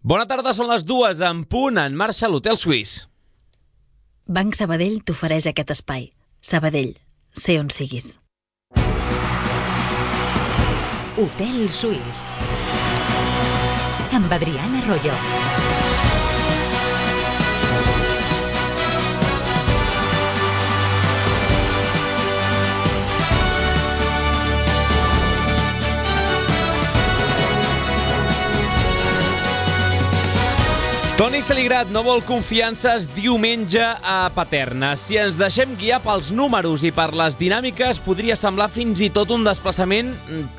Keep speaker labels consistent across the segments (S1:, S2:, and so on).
S1: Bona tarda, són les 2 en punt, en marxa l'Hotel Suís.
S2: Banc Sabadell t'ofereix aquest espai. Sabadell, sé on siguis.
S3: Hotel Suís amb Adriana Royo.
S1: Toni Saligrat no vol confiances diumenge a Paterna. Si ens deixem guiar pels números i per les dinàmiques, podria semblar fins i tot un desplaçament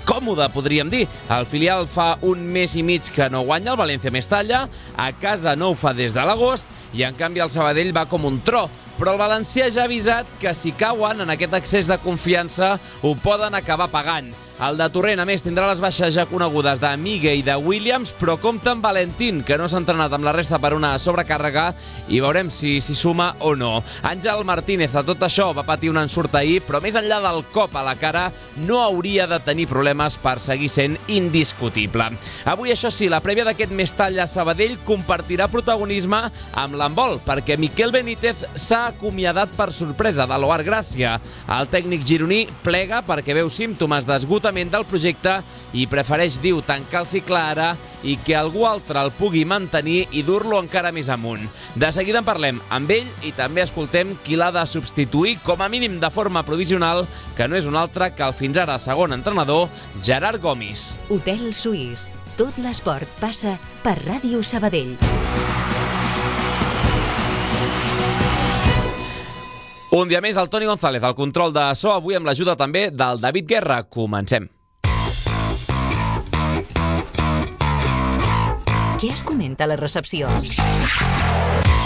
S1: còmode, podríem dir. El filial fa un mes i mig que no guanya, el València Mestalla, a casa no ho fa des de l'agost, i en canvi el Sabadell va com un tro. Però el valencià ja ha avisat que si cauen en aquest excés de confiança ho poden acabar pagant. El de Torrent, a més, tindrà les baixes ja conegudes de Migue i de Williams, però compta amb Valentín, que no s'ha entrenat amb la resta per una sobrecàrrega, i veurem si s'hi suma o no. Àngel Martínez, a tot això, va patir un ensurt ahir, però més enllà del cop a la cara, no hauria de tenir problemes per seguir sent indiscutible. Avui, això sí, la prèvia d'aquest Mestalla-Sabadell compartirà protagonisme amb l'handbol, perquè Miquel Benítez s'ha acomiadat per sorpresa de l'Oar Gràcia. El tècnic gironí plega perquè veu símptomes d'esgotament del projecte i prefereix, diu, tancar el cicle ara i que algú altre el pugui mantenir i dur-lo encara més amunt. De seguida en parlem amb ell i també escoltem qui l'ha de substituir, com a mínim de forma provisional, que no és un altre que el fins ara segon entrenador, Gerard Gomis.
S3: Hotel Suís. Tot l'esport passa per Ràdio Sabadell.
S1: Un dia més, el Toni González, al control de so, avui amb l'ajuda també del David Guerra. Comencem.
S3: Què es comenta a la recepció?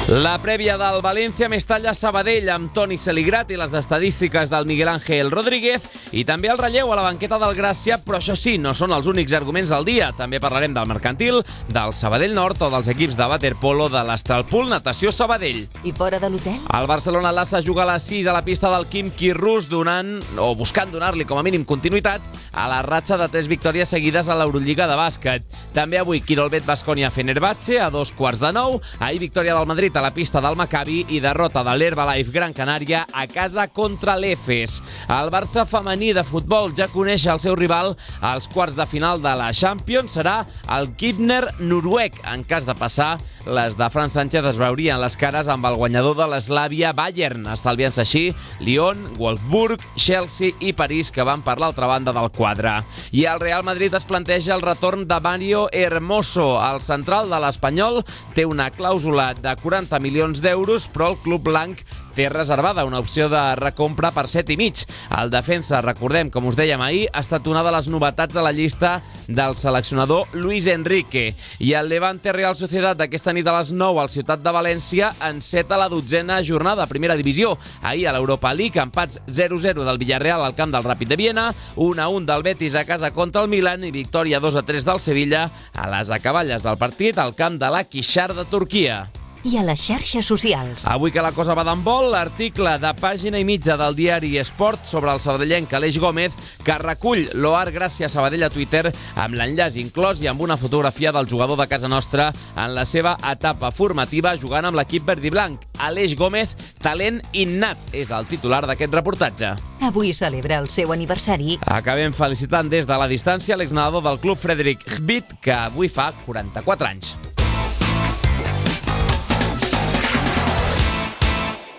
S1: La prèvia del València Mestalla-Sabadell amb Toni Saligrat i les estadístiques del Miguel Ángel Rodríguez, i també el relleu a la banqueta del Gràcia, però això sí, no són els únics arguments del dia. També parlarem del Mercantil, del Sabadell Nord o dels equips de waterpolo de l'Astralpool Natació Sabadell.
S3: I fora de l'hotel?
S1: El Barcelona Lassa juga a les 6 a la pista del Khimki rus, buscant donar-li com a mínim continuïtat a la ratxa de 3 victòries seguides a l'Eurolliga de bàsquet. També avui Quirolbet Baskonia Fenerbahçe a 8:45. Ahir victòria del Madrid a la pista del Maccabi i derrota de l'Herbalife Gran Canària a casa contra l'Efes. El Barça femení de futbol ja coneix el seu rival als quarts de final de la Champions. Serà el Kibner noruec. En cas de passar, les de Fran Sánchez es veurien les cares amb el guanyador de l'Slavia Bayern, estalviant-se així Lyon, Wolfsburg, Chelsea i París, que van per l'altra banda del quadre. I el Real Madrid es planteja el retorn de Mario Hermoso. El central de l'Espanyol té una clàusula de 40 milions d'euros, però el club blanc té reservada una opció de recompra per 7,5. El defensa, recordem, com us dèiem ahir, ha estat una de les novetats a la llista del seleccionador Luis Enrique. I el Levante Real Sociedad d'aquesta nit a les 9 al Ciutat de València enceta la 12a jornada a primera divisió. Ahir a l'Europa League, empats 0-0 del Villarreal al camp del Ràpid de Viena, 1-1 del Betis a casa contra el Milan i victòria 2-3 del Sevilla a les acaballes del partit al camp de l'Akhisar de Turquia.
S3: I a les xarxes socials.
S1: Avui que la cosa va d'handbol, l'article de pàgina i mitja del diari Esport sobre el sabadellenc Aleix Gómez, que recull l'Oar Gràcia Sabadell a Twitter amb l'enllaç inclòs i amb una fotografia del jugador de casa nostra en la seva etapa formativa jugant amb l'equip verd i blanc. Aleix Gómez, talent innat, és el titular d'aquest reportatge.
S3: Avui celebra el seu aniversari.
S1: Acabem felicitant des de la distància l'exnedador del club Frederic Hbit, que avui fa 44 anys.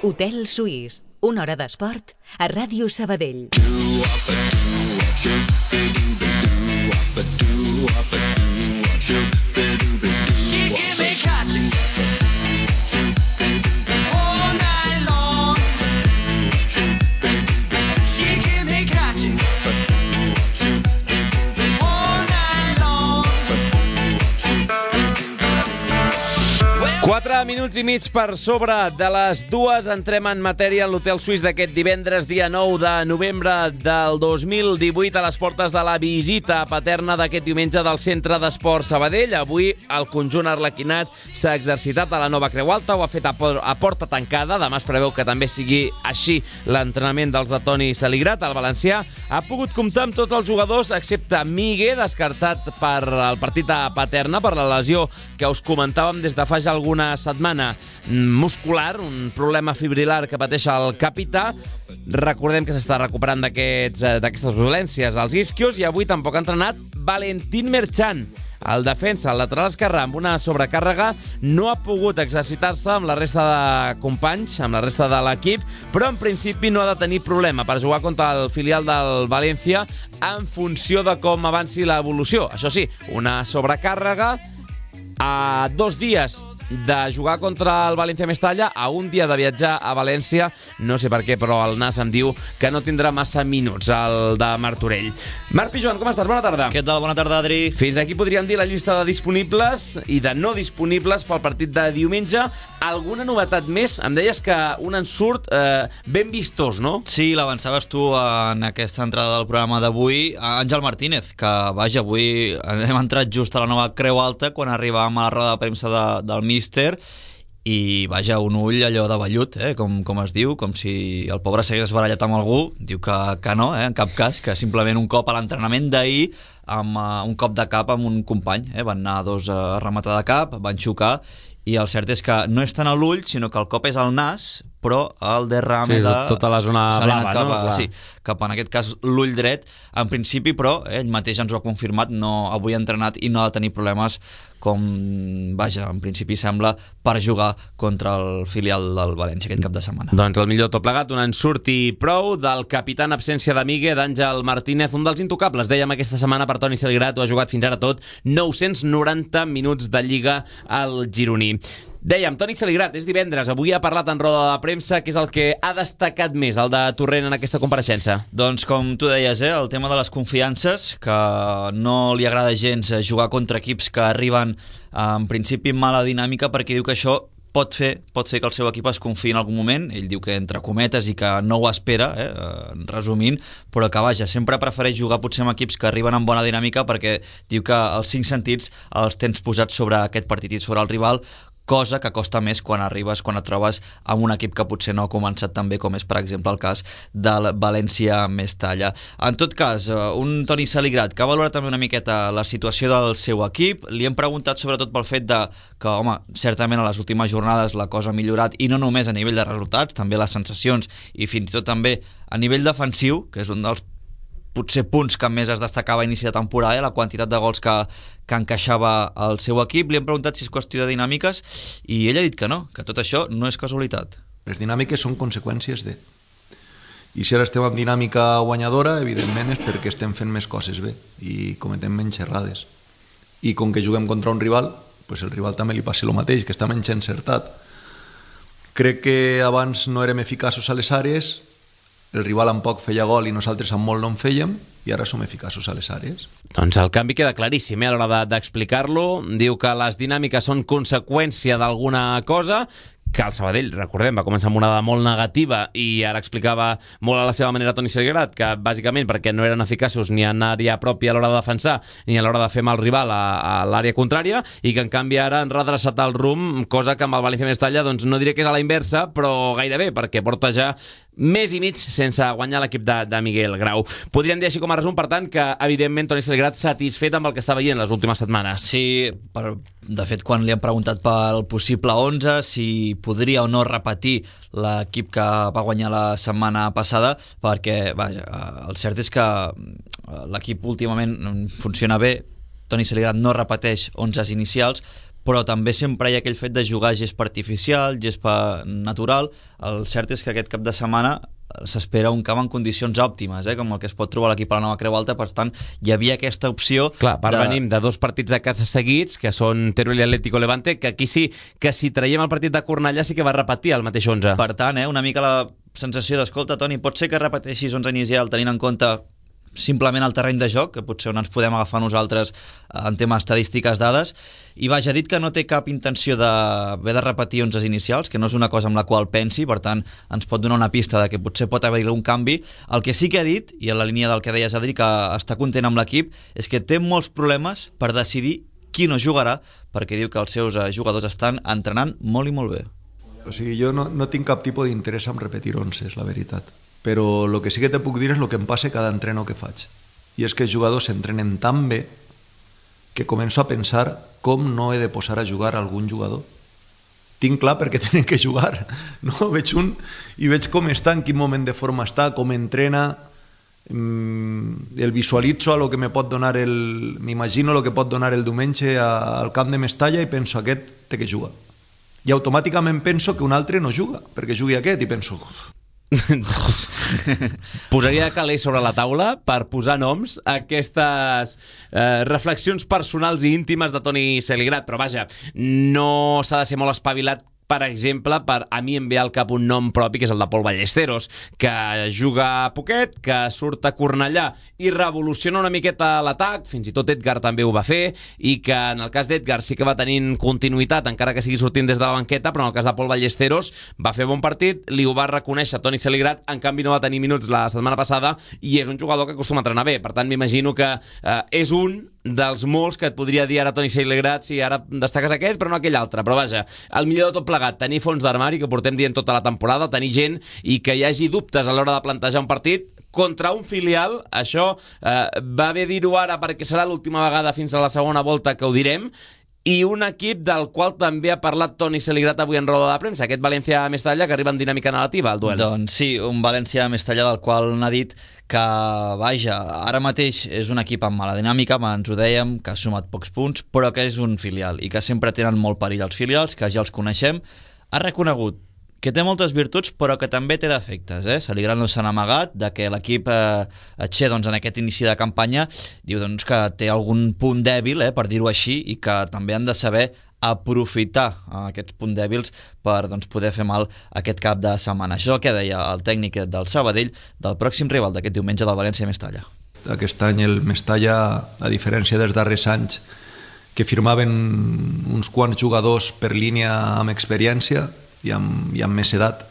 S3: Hotel Suís, una hora d'esport a Ràdio Sabadell.
S1: 4 minuts i mig per sobre de les 2 entrem en matèria en l'Hotel Suís d'aquest divendres, dia 9 de novembre del 2018, a les portes de la visita paterna d'aquest diumenge del Centre d'Esport Sabadell. Avui el conjunt arlequinat s'ha exercitat a la nova Creu Alta, ho ha fet a porta tancada. Demà es preveu que també sigui així l'entrenament dels de Toni Saligrat. El valencià ha pogut comptar amb tots els jugadors excepte Migue, descartat per el partit a Paterna per la lesió que us comentàvem des de fa ja alguna setmana muscular, un problema fibrilar que pateix el capità. Recordem que s'està recuperant d'aquestes dolències als isquios, i avui tampoc ha entrenat Valentín Merchan. El defensa, el lateral esquerre, amb una sobrecàrrega, no ha pogut exercitar-se amb la resta de companys, amb la resta de l'equip, però en principi no ha de tenir problema per jugar contra el filial del València en funció de com avanci l'evolució. Això sí, una sobrecàrrega a 2 dies de jugar contra el València Mestalla, a un dia de viatjar a València. No sé per què, però el Nas em diu que no tindrà massa minuts, el de Martorell. Marc Pijoan, com estàs? Bona tarda.
S4: Què tal? Bona tarda, Adri.
S1: Fins aquí podríem dir la llista de disponibles i de no disponibles pel partit de diumenge. Alguna novetat més? Em deies que un ensurt ben vistós, no?
S4: Sí, l'avançaves tu en aquesta entrada del programa d'avui. Àngel Martínez, que vaja, avui hem entrat just a la nova Creu Alta quan arribàvem a la roda de premsa del míster, i vaja, un ull allò de vellut, com es diu, com si el pobre s'hagués barallat amb algú. Diu que no, en cap cas, que simplement un cop a l'entrenament d'ahir, amb un cop de cap amb un company, van anar dos a rematar de cap, van xocar, i el cert és que no és tant a l'ull, sinó que el cop és al nas, però el derrame de
S1: tota la zona blava,
S4: cap,
S1: no?
S4: Sí, cap en aquest cas l'ull dret, en principi, però ell mateix ens ho ha confirmat, avui ha entrenat i no ha de tenir problemes, com, vaja, en principi sembla, per jugar contra el filial del València aquest cap de setmana.
S1: Doncs el millor tot plegat, un ensurt i prou del capità en absència de Migue, d'Àngel Martínez, un dels intocables, dèiem aquesta setmana per Toni Saligrat, ho ha jugat fins ara tot 990 minuts de Lliga al gironí. Dèiem, Toni Saligrat, és divendres, avui ha parlat en roda de premsa, que és el que ha destacat més, el de Torrent, en aquesta compareixença.
S4: Doncs com tu deies, el tema de les confiances, que no li agrada gens jugar contra equips que arriben en principi amb mala dinàmica, perquè diu que això pot fer que el seu equip es confiï en algun moment. Ell diu que entre cometes i que no ho espera, resumint, però que vaja, sempre prefereix jugar potser amb equips que arriben amb bona dinàmica, perquè diu que els 5 sentits els tens posats sobre aquest partit i sobre el rival, cosa que costa més quan arribes, quan et trobes amb un equip que potser no ha començat tan bé, com és, per exemple, el cas del València Mestalla. En tot cas, un Toni Saligrat que ha valorat també una miqueta la situació del seu equip. Li hem preguntat sobretot pel fet que, home, certament a les últimes jornades la cosa ha millorat, i no només a nivell de resultats, també les sensacions i fins i tot també a nivell defensiu, que és un dels potser punts que més es destacava a inici de temporada, la quantitat de gols que encaixava el seu equip. Li hem preguntat si és qüestió de dinàmiques i ell ha dit que no, que tot això no és casualitat.
S5: Les dinàmiques són conseqüències de... I si ara estem en dinàmica guanyadora, evidentment és perquè estem fent més coses bé i cometem menys errades. I com que juguem contra un rival, pues el rival també li passa el mateix, que està menys encertat. Crec que abans no érem eficaços a les àrees, el rival amb poc feia gol i nosaltres amb molt no en fèiem, i ara som eficaços a les àrees.
S1: Doncs el canvi queda claríssim a l'hora d'explicar-lo. Diu que les dinàmiques són conseqüència d'alguna cosa, que el Sabadell, recordem, va començar amb una dada molt negativa i ara explicava molt a la seva manera Toni Saligrat que bàsicament perquè no eren eficaços ni en àrea pròpia a l'hora de defensar ni a l'hora de fer mal rival a l'àrea contrària, i que en canvi ara han redreçat el rumb, cosa que amb el València Mestalla doncs no diré que és a la inversa, però gairebé, perquè porta ja més i mig sense guanyar l'equip de Miguel Grau. Podríem dir així com a resum, per tant, que evidentment Toni Saligrat satisfet amb el que està veient les últimes setmanes.
S4: Sí, de fet, quan li han preguntat pel possible 11, si podria o no repetir l'equip que va guanyar la setmana passada, perquè, vaja, el cert és que l'equip últimament funciona bé. Toni Saligrat no repeteix 11 inicials, però també sempre hi ha aquell fet de jugar gespa artificial, gespa natural. El cert és que aquest cap de setmana s'espera un camp en condicions òptimes, com el que es pot trobar l'equip a la nova Creu Alta. Per tant, hi havia aquesta opció.
S1: Clar, venim de 2 partits a casa seguits, que són Teruel i Atlético Levante, que aquí sí que si traiem el partit de Cornellà sí que va repetir el mateix 11.
S4: Per tant, una mica la sensació d'escolta, Toni, pot ser que repeteixis 11 inicial tenint en compte simplement el terreny de joc, que potser on ens podem agafar nosaltres en temes estadístiques, dades, i vaja, ha dit que no té cap intenció d'haver de repetir 11 inicials, que no és una cosa amb la qual pensi, per tant ens pot donar una pista de que potser pot haver-hi un canvi. El que sí que ha dit, i en la línia del que deies, Adri, que està content amb l'equip, és que té molts problemes per decidir qui no jugarà, perquè diu que els seus jugadors estan entrenant molt i molt bé.
S5: O sigui, jo no tinc cap tipus d'interès en repetir 11, és la veritat. Però el que sí que te puc dir és el que em passa cada entreno que faig. I és que els jugadors s'entrenen tan bé que començo a pensar com no he de posar a jugar algun jugador. Tinc clar perquè tenen que jugar. No? Veig un i veig com està, en quin moment de forma està, com entrena, el visualitzo a lo que me pot donar m'imagino el que pot donar el diumenge al camp de Mestalla i penso, aquest té que jugar. I automàticament penso que un altre no juga, perquè jugui aquest, i penso...
S1: Posaria calés sobre la taula per posar noms a aquestes reflexions personals i íntimes de Toni Celigrat, però vaja, no s'ha de ser molt espavilat. Per exemple, a mi em ve al cap un nom propi, que és el de Pol Ballesteros, que juga poquet, que surt a Cornellà i revoluciona una miqueta l'atac, fins i tot Edgar també ho va fer, i que en el cas d'Edgar sí que va tenint continuïtat, encara que sigui sortint des de la banqueta, però en el cas de Pol Ballesteros va fer bon partit, li ho va reconèixer Toni Celigrat, en canvi no va tenir minuts la setmana passada, i és un jugador que acostuma a entrenar bé. Per tant, m'imagino que és un dels molts que et podria dir ara Toni Celigrat, si ara destaques aquest però no aquell altre, però vaja, el millor de tot plegat, tenir fons d'armari, que portem dient tota la temporada, tenir gent i que hi hagi dubtes a l'hora de plantejar un partit contra un filial. Això va bé dir-ho ara perquè serà l'última vegada fins a la segona volta que ho direm, i un equip del qual també ha parlat Toni Celigrat avui en roda de premsa, aquest València-Mestalla, que arriba en dinàmica negativa al duel.
S4: Doncs sí, un València-Mestalla del qual n'ha dit que, vaja, ara mateix és un equip amb mala dinàmica, abans ho dèiem, que ha sumat pocs punts, però que és un filial i que sempre tenen molt perill els filials, que ja els coneixem. Ha reconegut que té moltes virtuts però que també té defectes. Celigrat no se n'ha amagat de que l'equip Che, doncs, en aquest inici de campanya diu doncs, que té algun punt dèbil, per dir-ho així, i que també han de saber aprofitar aquests punts dèbils per doncs, poder fer mal aquest cap de setmana. Això és el que deia el tècnic del Sabadell del pròxim rival d'aquest diumenge del València-Mestalla.
S5: Aquest any el Mestalla, a diferència dels darrers anys, que firmaven uns quants jugadors per línia amb experiència i amb més edat,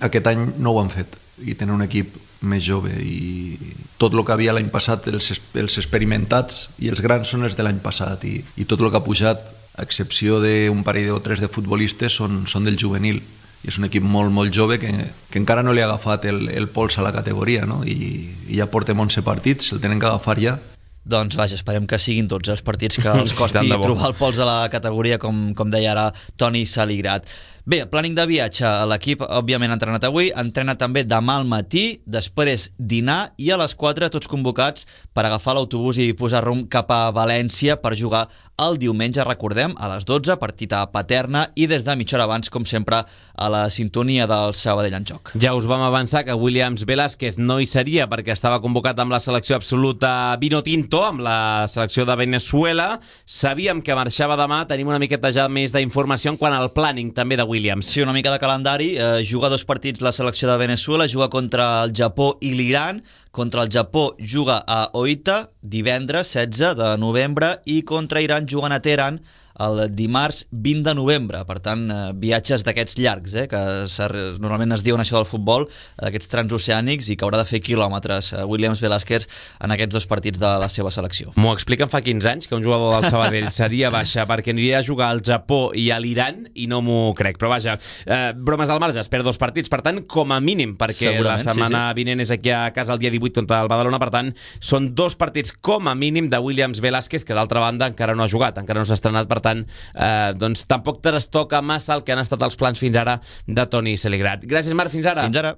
S5: aquest any no ho han fet i tenen un equip més jove, i tot el que havia l'any passat, els experimentats i els grans són els de l'any passat, i tot el que ha pujat, a excepció d'un parell o tres de futbolistes, són del juvenil, i és un equip molt, molt jove que encara no li ha agafat el pols a la categoria, no? I ja portem 11 partits, el tenen que agafar ja.
S4: Doncs vaja, esperem que siguin tots els partits que els costi trobar el pols a la categoria, com deia ara Toni Celigrat. Bé, plàning de viatge, l'equip òbviament ha entrenat avui, entrena també demà al matí, després dinar, i a les 4 tots convocats per agafar l'autobús i posar rumb cap a València per jugar el diumenge, recordem, a les 12, partit a Paterna, i des de mitja hora abans, com sempre, a la sintonia del Sabadell en joc.
S1: Ja us vam avançar que Williams Velázquez no hi seria perquè estava convocat amb la selecció absoluta vino tinto, amb la selecció de Venezuela. Sabíem que marxava demà, tenim una miqueta ja més d'informació en quant al planning també de Williams.
S4: Sí, una mica de calendari. Juga 2 partits la selecció de Venezuela, juga contra el Japó i l'Iran. Contra el Japó juga a Oita divendres 16 de novembre i contra Iran juguen a Teheran el dimarts 20 de novembre. Per tant, viatges d'aquests llargs, que normalment es diuen això del futbol, d'aquests transoceànics, i que haurà de fer quilòmetres Williams Velázquez en aquests 2 partits de la seva selecció.
S1: M'ho expliquen fa 15 anys que un jugador del Sabadell seria baixa perquè aniria a jugar al Japó i a l'Iran, i no m'ho crec. Però vaja, bromes al marge, es perd 2 partits, per tant, com a mínim, perquè la setmana vinent és aquí a casa el dia 18 contra el Badalona, per tant, són 2 partits com a mínim de Williams Velázquez, que d'altra banda encara no ha jugat, encara no s'ha estrenat, per tant, doncs tampoc trastoca massa el que han estat els plans fins ara de Toni Celigrat. Gràcies, Marc, fins ara.
S4: Fins ara.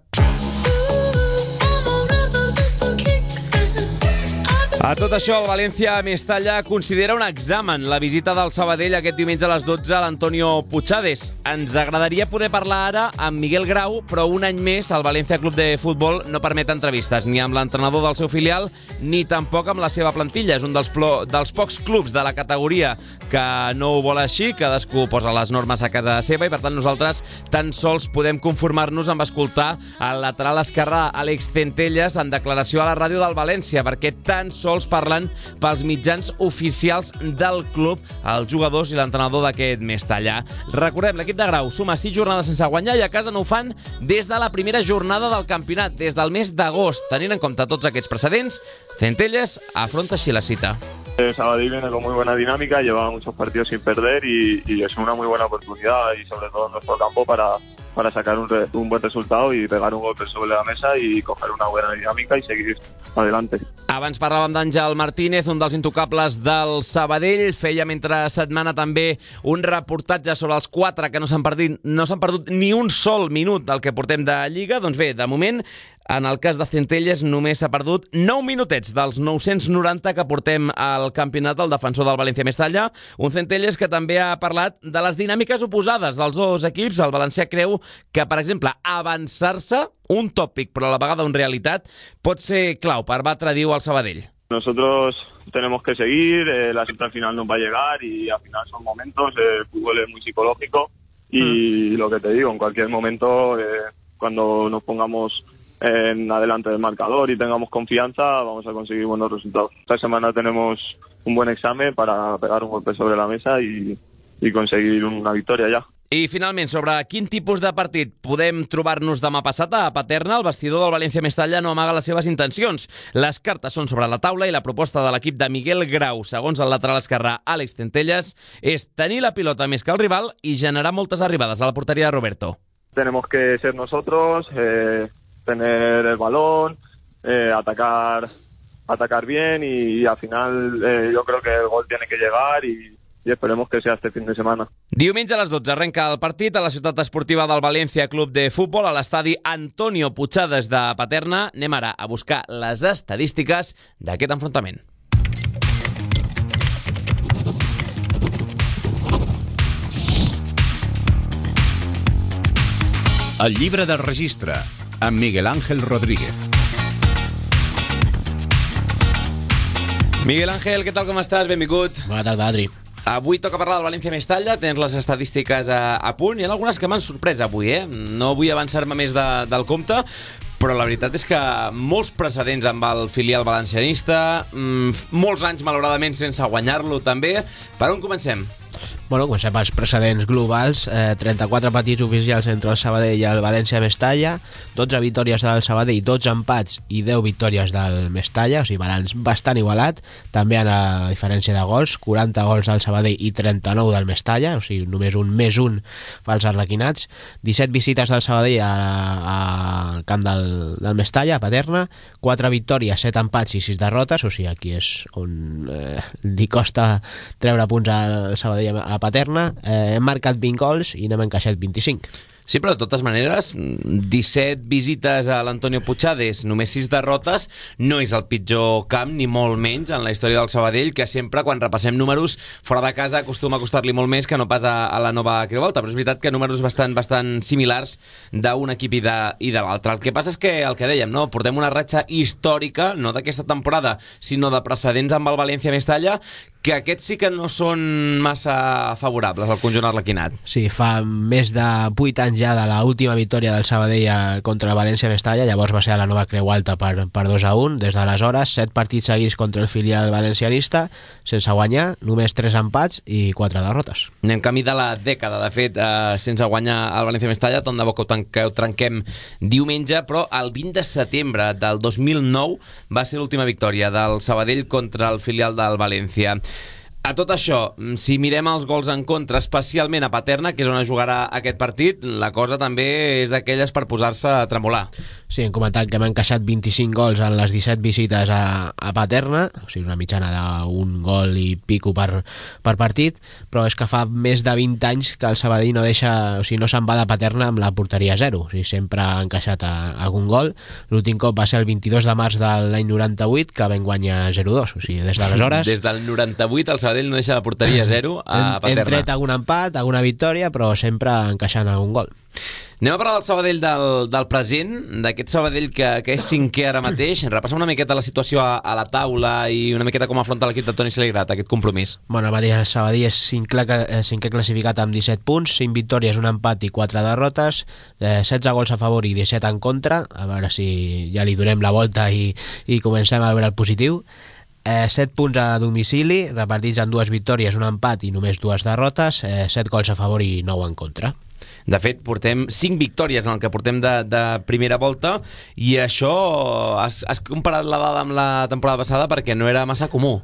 S1: A tot això, el València Mestalla considera un examen la visita del Sabadell aquest diumenge a les 12 a l'Antonio Puigades. Ens agradaria poder parlar ara amb Miguel Grau, però un any més el València Club de Futbol no permet entrevistes ni amb l'entrenador del seu filial ni tampoc amb la seva plantilla. És un dels pocs clubs de la categoria que no ho vol així, cadascú posa les normes a casa seva i per tant nosaltres tan sols podem conformar-nos amb escoltar el lateral esquerre Àlex Centelles en declaració a la ràdio del València, perquè tan sols parlen pels mitjans oficials del club, els jugadors i l'entrenador d'aquest Mestalla. Recordem, l'equip de Grau suma 6 jornades sense guanyar i a casa no ho fan des de la primera jornada del campionat, des del mes d'agost. Tenint en compte tots aquests precedents, Centelles afronta així la cita.
S6: Sabadell viene con muy buena dinámica, lleva muchos partidos sin perder y es una muy buena oportunidad y sobre todo en nuestro campo para sacar un buen resultado y pegar un golpe sobre la mesa y coger una buena dinámica y seguir adelante.
S1: Abans parlàvem d'Àngel Martínez, un dels intocables del Sabadell. Fèiem entre setmana també un reportatge sobre els 4 que no s'han perdut ni un sol minut del que portem de Lliga. Doncs bé, de moment, en el cas de Centelles només s'ha perdut 9 minutets dels 990 que portem al campionat del defensor del València Mestalla. Un Centelles que també ha parlat de les dinàmiques oposades dels dos equips. El valencià creu que, per exemple, avançar-se, un tòpic però a la vegada una realitat, pot ser clau per batre, diu, al Sabadell.
S6: Nosotros tenemos que seguir, la cita al final nos va a llegar y al final son momentos, el fútbol es muy psicológico y lo que te digo, en cualquier momento, cuando nos pongamos en adelante del marcador y tengamos confianza, vamos a conseguir buenos resultados. Esta semana tenemos un buen examen para pegar un golpe sobre la mesa y conseguir una victoria ya.
S1: I finalment, sobre quin tipus de partit podem trobar-nos demà passat a Paterna, el vestidor del València Mestalla no amaga les seves intencions. Les cartes són sobre la taula i la proposta de l'equip de Miguel Grau, segons el lateral esquerrà Àlex Centelles, és tenir la pilota més que el rival i generar moltes arribades a la porteria de Roberto.
S6: Tenemos que ser nosotros, tener el balón, atacar bien y al final yo creo que el gol tiene que llegar y esperemos que sea este fin de semana.
S1: Diumenge a les 12 arrenca el partit a la ciutat esportiva del València Club de Futbol a l'estadi Antonio Puigades de Paterna. Anem ara a buscar les estadístiques d'aquest enfrontament.
S7: El llibre de registre, amb Miguel Ángel Rodríguez.
S1: Miguel Ángel, què tal, com estàs? Benvingut.
S8: Bona tarda, Adri.
S1: Avui toca parlar del València Mestalla, tens les estadístiques a punt. Hi ha algunes que m'han sorprès avui, No vull avançar-me més del compte, però la veritat és que molts precedents amb el filial valencianista, molts anys, malauradament, sense guanyar-lo també. Per on comencem?
S8: Bueno, comencem pels precedents globals. 34 partits oficials entre el Sabadell i el València Mestalla, 12 victòries del Sabadell, 12 empats i 10 victòries del Mestalla, o sigui, balanç bastant igualat. També en la diferència de gols, 40 gols del Sabadell i 39 del Mestalla, o sigui, només un més un pels arlequinats. 17 visites del Sabadell al camp del Mestalla, a Paterna, 4 victòries, 7 empats i 6 derrotes, o sigui, aquí és on li costa treure punts al Sabadell a Paterna. Hem marcat 20 gols i n'hem encaixat 25.
S1: Sí, però de totes maneres, 17 visites a l'Antonio Puigades, només 6 derrotes, no és el pitjor camp, ni molt menys, en la història del Sabadell, que sempre, quan repassem números, fora de casa acostuma a costar-li molt més que no pas a la nova Creu Alta, però és veritat que números bastant similars d'un equip i de l'altre. El que passa és que, el que dèiem, no? Portem una ratxa històrica, no d'aquesta temporada, sinó de precedents amb el València Mestalla, que aquests sí que no són massa favorables al conjunt arlequinat.
S8: Sí, fa més de 8 anys ja de l'última victòria del Sabadell contra el València Mestalla, llavors va ser a la nova Creu Alta per 2-1. Des d'aleshores, 7 partits seguits contra el filial valencianista, sense guanyar, només 3 empats i 4 derrotes.
S1: Anem camí de la dècada, de fet, sense guanyar el València Mestalla, tant de bo que ho trenquem diumenge, però el 20 de setembre del 2009 va ser l'última victòria del Sabadell contra el filial del València. A tot això, si mirem els gols en contra, especialment a Paterna, que és on es jugarà aquest partit, la cosa també és d'aquelles per posar-se a tremolar.
S8: Sí, hem comentat que hem encaixat 25 gols en les 17 visites a Paterna, o sigui, una mitjana d'un gol i pico per partit, però és que fa més de 20 anys que el Sabadell no se'n va de Paterna amb la porteria 0, o sigui, sempre ha encaixat algun gol. L'últim cop va ser el 22 de març de l'any 98, que vam guanyar 0-2, o sigui, des d'aleshores...
S1: Des del 98 el Sabadell no deixa la porteria 0 a Paterna.
S8: Hem tret algun empat, alguna victòria, però sempre encaixant algun gol.
S1: Anem a parlar del Sabadell del present, d'aquest Sabadell que és cinquè ara mateix. Repassem una miqueta la situació a la taula i una miqueta com afronta l'equip de Toni Saligrat aquest compromís.
S8: Bueno, el mateix Sabadell és cinquè classificat amb 17 punts, 5 victòries, un empat i 4 derrotes, 16 gols a favor i 17 en contra. A veure si ja li donem la volta i comencem a veure el positiu. 7 punts a domicili, repartits en 2 victòries, un empat i només 2 derrotes, 7 gols a favor i 9 en contra.
S1: De fet, portem 5 victòries en el que portem de primera volta i això has comparat la dada amb la temporada passada perquè no era massa comú.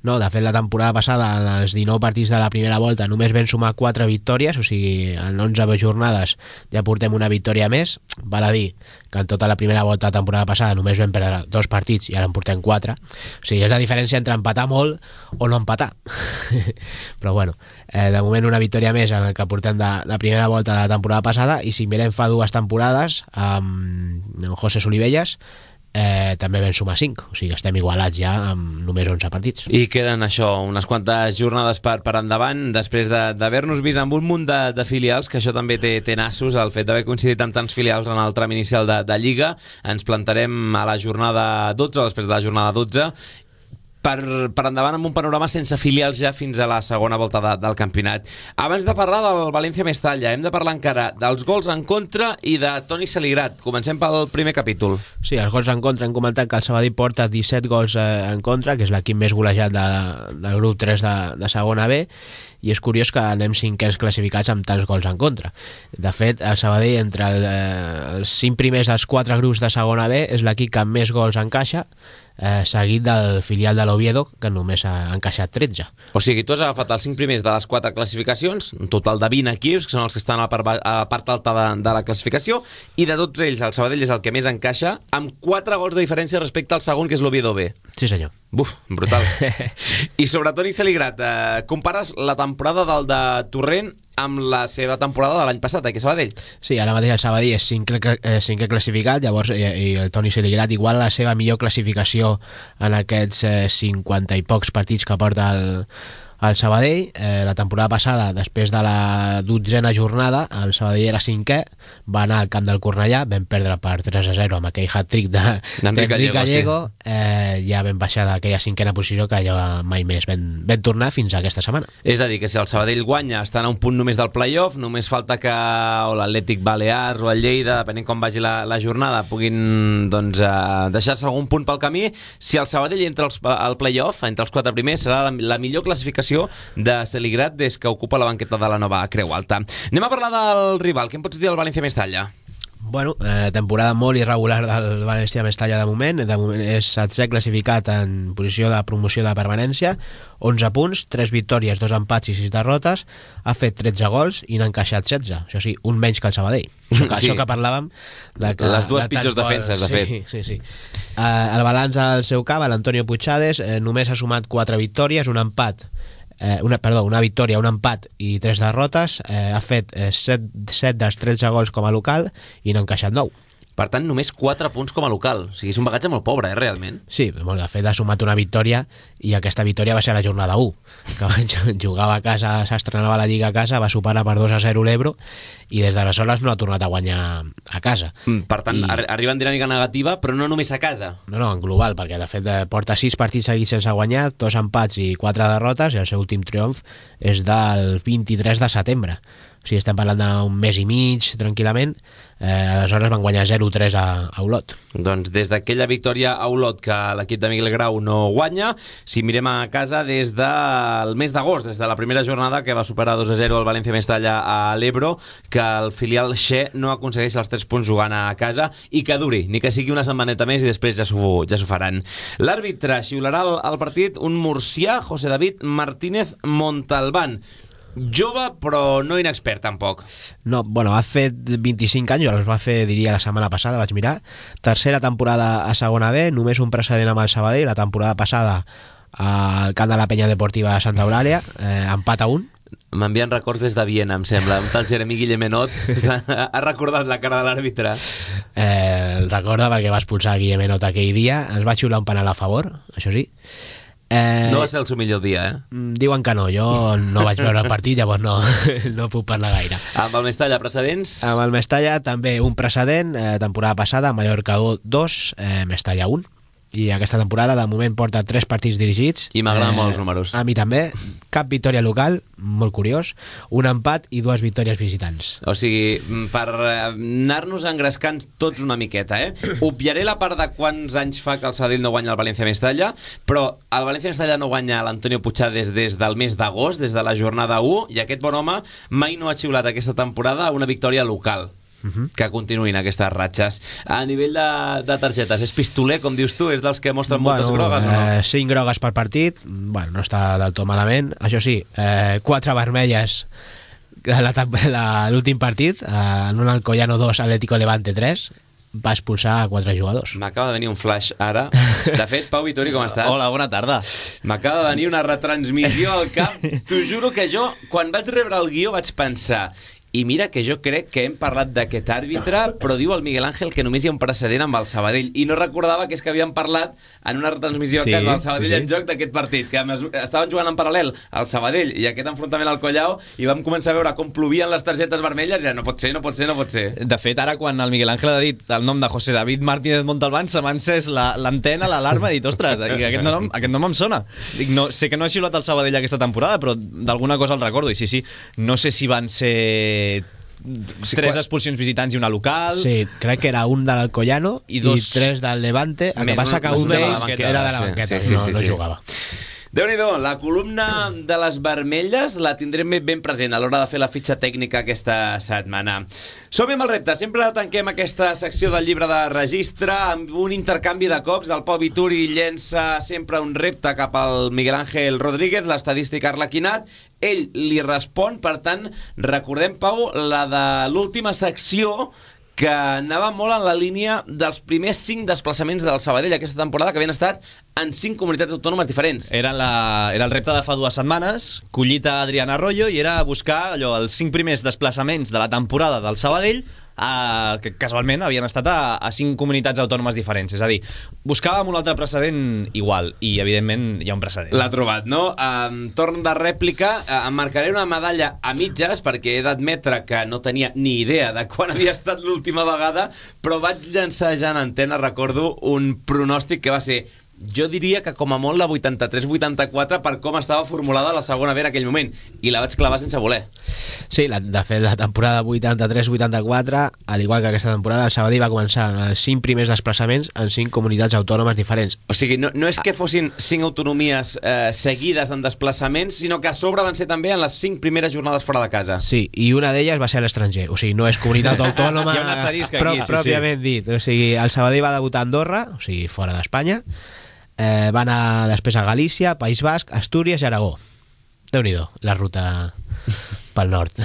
S8: No, de fet la temporada passada en els 19 partits de la primera volta només vam sumar 4 victòries, o sigui, en 11 jornades ja portem una victòria més. Val a dir que en tota la primera volta de la temporada passada només vam perdre 2 partits i ara en portem 4. O sigui, és la diferència entre empatar molt o no empatar. Però bueno, de moment una victòria més en el que portem de primera volta de la temporada passada, i si mirem fa 2 temporades amb José Solivelles també vam sumar 5, o sigui que estem igualats ja amb només 11 partits.
S1: I queden això, unes quantes jornades per endavant, després d'haver-nos vist amb un munt de filials, que això també té nassos, el fet d'haver coincidit amb tants filials en el tram inicial de Lliga. Ens plantarem a la jornada 12, després de la jornada 12, per endavant amb un panorama sense filials ja fins a la segona volta del campionat. Abans de parlar del València-Mestalla, hem de parlar encara dels gols en contra i de Toni Saligrat. Comencem pel primer capítol.
S8: Sí, els gols en contra, hem comentat que el Sabadell porta 17 gols en contra, que és l'equip més golejat del grup 3 de segona B, i és curiós que anem 5ens classificats amb tants gols en contra. De fet, el Sabadell, entre els 5 primers dels 4 grups de segona B, és l'equip que més gols encaixa, seguit del filial de l'Oviedo, que només ha encaixat 13.
S1: O sigui, tu has agafat els 5 primers de les 4 classificacions, un total de 20 equips, que són els que estan a la part alta de la classificació, i de tots ells el Sabadell és el que més encaixa, amb 4 gols de diferència respecte al segon, que és l'Oviedo B.
S8: Sí, senyor.
S1: Buf, brutal. I sobre Toni Saligrat, compares la temporada del de Torrent amb la seva temporada de l'any passat, aquí a Sabadell.
S8: Sí, ara mateix el Sabadell és 5è classificat, llavors i el Toni Saligrat igual la seva millor classificació en aquests 50 i pocs partits que porta el Sabadell. La temporada passada, després de la 12a jornada, el Sabadell era 5è, va anar al camp del Cornellà, vam perdre per 3-0 amb aquell hat-trick d'Enric Gallego, ja vam baixar d'aquella 5a posició que ja mai més vam tornar fins a aquesta setmana.
S1: És a dir, que si el Sabadell guanya estan a un punt només del playoff, només falta que l'Atlètic Balears o el Lleida, depenent com vagi la jornada, puguin deixar-se algun punt pel camí. Si el Sabadell entra al playoff, entre els 4 primers, serà la millor classificació de Saligrat des que ocupa la banqueta de la nova Creu Alta. Anem a parlar del rival. Què em pots dir del València-Mestalla?
S8: Bueno, temporada molt irregular del València-Mestalla de moment. De moment és 7è classificat en posició de promoció de permanència, 11 punts, 3 victòries, 2 empats i 6 derrotes, ha fet 13 gols i n'ha encaixat 16, això sí, un menys que el Sabadell. Això que parlàvem de que
S1: les dues pitjors defenses, de fet.
S8: Sí. El balanç al seu camp, l'Antonio Puigades, només ha sumat 4 victòries, un empat, una victòria, un empat i 3 derrotes, ha fet 7 dels 13 gols com a local i n'ha encaixat 9.
S1: Per tant, només 4 punts com a local. O sigui, és un bagatge molt pobre, realment.
S8: Sí, molt, de fet ha sumat una victòria i aquesta victòria va ser a la jornada 1, que jugava a casa, s'estrenava la Lliga a casa, va superar per 2-0 l'Ebro i des d'aleshores no ha tornat a guanyar a casa.
S1: Per tant, arriba en dinàmica negativa, però no només a casa.
S8: No, en global, perquè de fet porta 6 partits seguits sense guanyar, 2 empats i 4 derrotes, i el seu últim triomf és del 23 de setembre. O o sigui, estem parlant d'un mes i mig, tranquil·lament. Aleshores van guanyar 0-3 a Olot.
S1: Doncs des d'aquella victòria a Olot que l'equip de Miguel Grau no guanya, si mirem a casa des del mes d'agost, des de la primera jornada que va superar 2-0 el València Mestalla a l'Ebro, que el filial Xe no aconsegueix els 3 punts jugant a casa i que duri, ni que sigui una setmaneta més i després ja s'ho faran. L'àrbitre xiularà el partit un murcià, José David Martínez Montalbán. Jove, però no inexpert, tampoc.
S8: No, bueno, ha fet 25 anys, els va fer, diria, la setmana passada, vaig mirar. Tercera temporada a segona B, només un precedent amb el Sabadell, la temporada passada al camp de la Penya Deportiva de Santa Eulàlia, empat a 1.
S1: M'envien records des de Viena, em sembla. Un tal Jeremy Guillemenot ha recordat la cara de l'àrbitre.
S8: El recorda perquè va expulsar Guillemenot aquell dia, ens va xiular un penal a favor, això sí.
S1: No va ser el seu millor dia,
S8: Diuen que no, jo no vaig veure el partit, llavors no puc parlar gaire.
S1: Amb el Mestalla, precedents?
S8: Amb el Mestalla també un precedent, temporada passada, Mallorca 2, Mestalla 1. I aquesta temporada, de moment, porta 3 partits dirigits.
S1: I m'agraden molt els números.
S8: A mi també. Cap victòria local, molt curiós. Un empat i 2 victòries visitants.
S1: O sigui, per anar-nos engrescant tots una miqueta, Obviaré la part de quants anys fa que el Sabadell no guanya el València Mestalla, però el València Mestalla no guanya l'Antonio Puigades des del mes d'agost, des de la jornada 1, i aquest bon home mai no ha xiulat aquesta temporada una victòria local. Que continuïn aquestes ratxes. A nivell de targetes, és pistoler, com dius tu? És dels que mostren moltes grogues o no?
S8: 5 grogues per partit, bueno, no està del tot malament. Això sí, 4 vermelles l'últim partit, en un Alcoyano 2, Atlético Levante 3, va expulsar 4 jugadors.
S1: M'acaba de venir un flash ara. De fet, Pau Vitori, com estàs?
S9: Hola, bona tarda.
S1: M'acaba de venir una retransmissió al cap. T'ho juro que jo, quan vaig rebre el guió, vaig pensar... I mira que jo crec que hem parlat d'aquest àrbitre, però diu el Miguel Ángel que només hi ha un precedent amb el Sabadell. I no recordava que és que havíem parlat en una retransmissió que és del Sabadell en joc d'aquest partit, que estaven jugant en paral·lel el Sabadell i aquest enfrontament al Collao, i vam començar a veure com plovien les targetes vermelles, i no pot ser.
S9: De fet, ara quan el Miguel Ángel ha dit el nom de José David Martínez Montalbán, se m'ha encès l'antena, l'alarma, i dit, ostres, aquest nom em sona. Dic, no, sé que no ha xiulat el Sabadell aquesta temporada, però d'alguna cosa el recordo, i sí, no sé si van ser 3 expulsions visitants i una local.
S8: Sí, crec que era un de l'Alcoyano i 3 del Levante. El que passa que un d'ells era de la banqueta, no jugava.
S1: Déu-n'hi-do, la columna de les vermelles la tindrem ben present a l'hora de fer la fitxa tècnica aquesta setmana. Som-hi amb el repte. Sempre tanquem aquesta secció del llibre de registre amb un intercanvi de cops. El Pau Vituri llença sempre un repte cap al Miguel Ángel Rodríguez, l'estadístic arlequinat. Ell li respon, per tant, recordem, Pau, la de l'última secció que anava molt en la línia dels primers 5 desplaçaments del Sabadell aquesta temporada, que havien estat en 5 comunitats autònomes diferents.
S9: Era el repte de fa 2 setmanes, collit a Adrián Arroyo, i era buscar els 5 primers desplaçaments de la temporada del Sabadell, que casualment havien estat a 5 comunitats autònomes diferents. És a dir, buscàvem un altre precedent igual, i evidentment hi ha un precedent.
S1: L'ha trobat, no? Torn de rèplica, em marcaré una medalla a mitges, perquè he d'admetre que no tenia ni idea de quan havia estat l'última vegada, però vaig llançar ja en antena, recordo, un pronòstic que va ser... Jo diria que com a molt la 83-84 per com estava formulada la segona B en aquell moment, i la vaig clavar sense voler.
S8: Sí, de fet la temporada 83-84, al igual que aquesta temporada, el Sabadell va començar els 5 primers desplaçaments en 5 comunitats autònomes diferents.
S1: O sigui, no és que fossin 5 autonomies seguides en desplaçaments, sinó que a sobre van ser també en les 5 primeres jornades fora de casa.
S8: Sí, i una d'elles va ser a l'estranger, o sigui, no és comunitat autònoma.
S9: Hi ha un asterisc aquí,
S8: pròpiament dit. O sigui, el Sabadell va debutar a Andorra, o sigui, fora d'Espanya. Va anar després a Galícia, País Basc, Astúries i Aragó. Déu-n'hi-do, la ruta pel nord.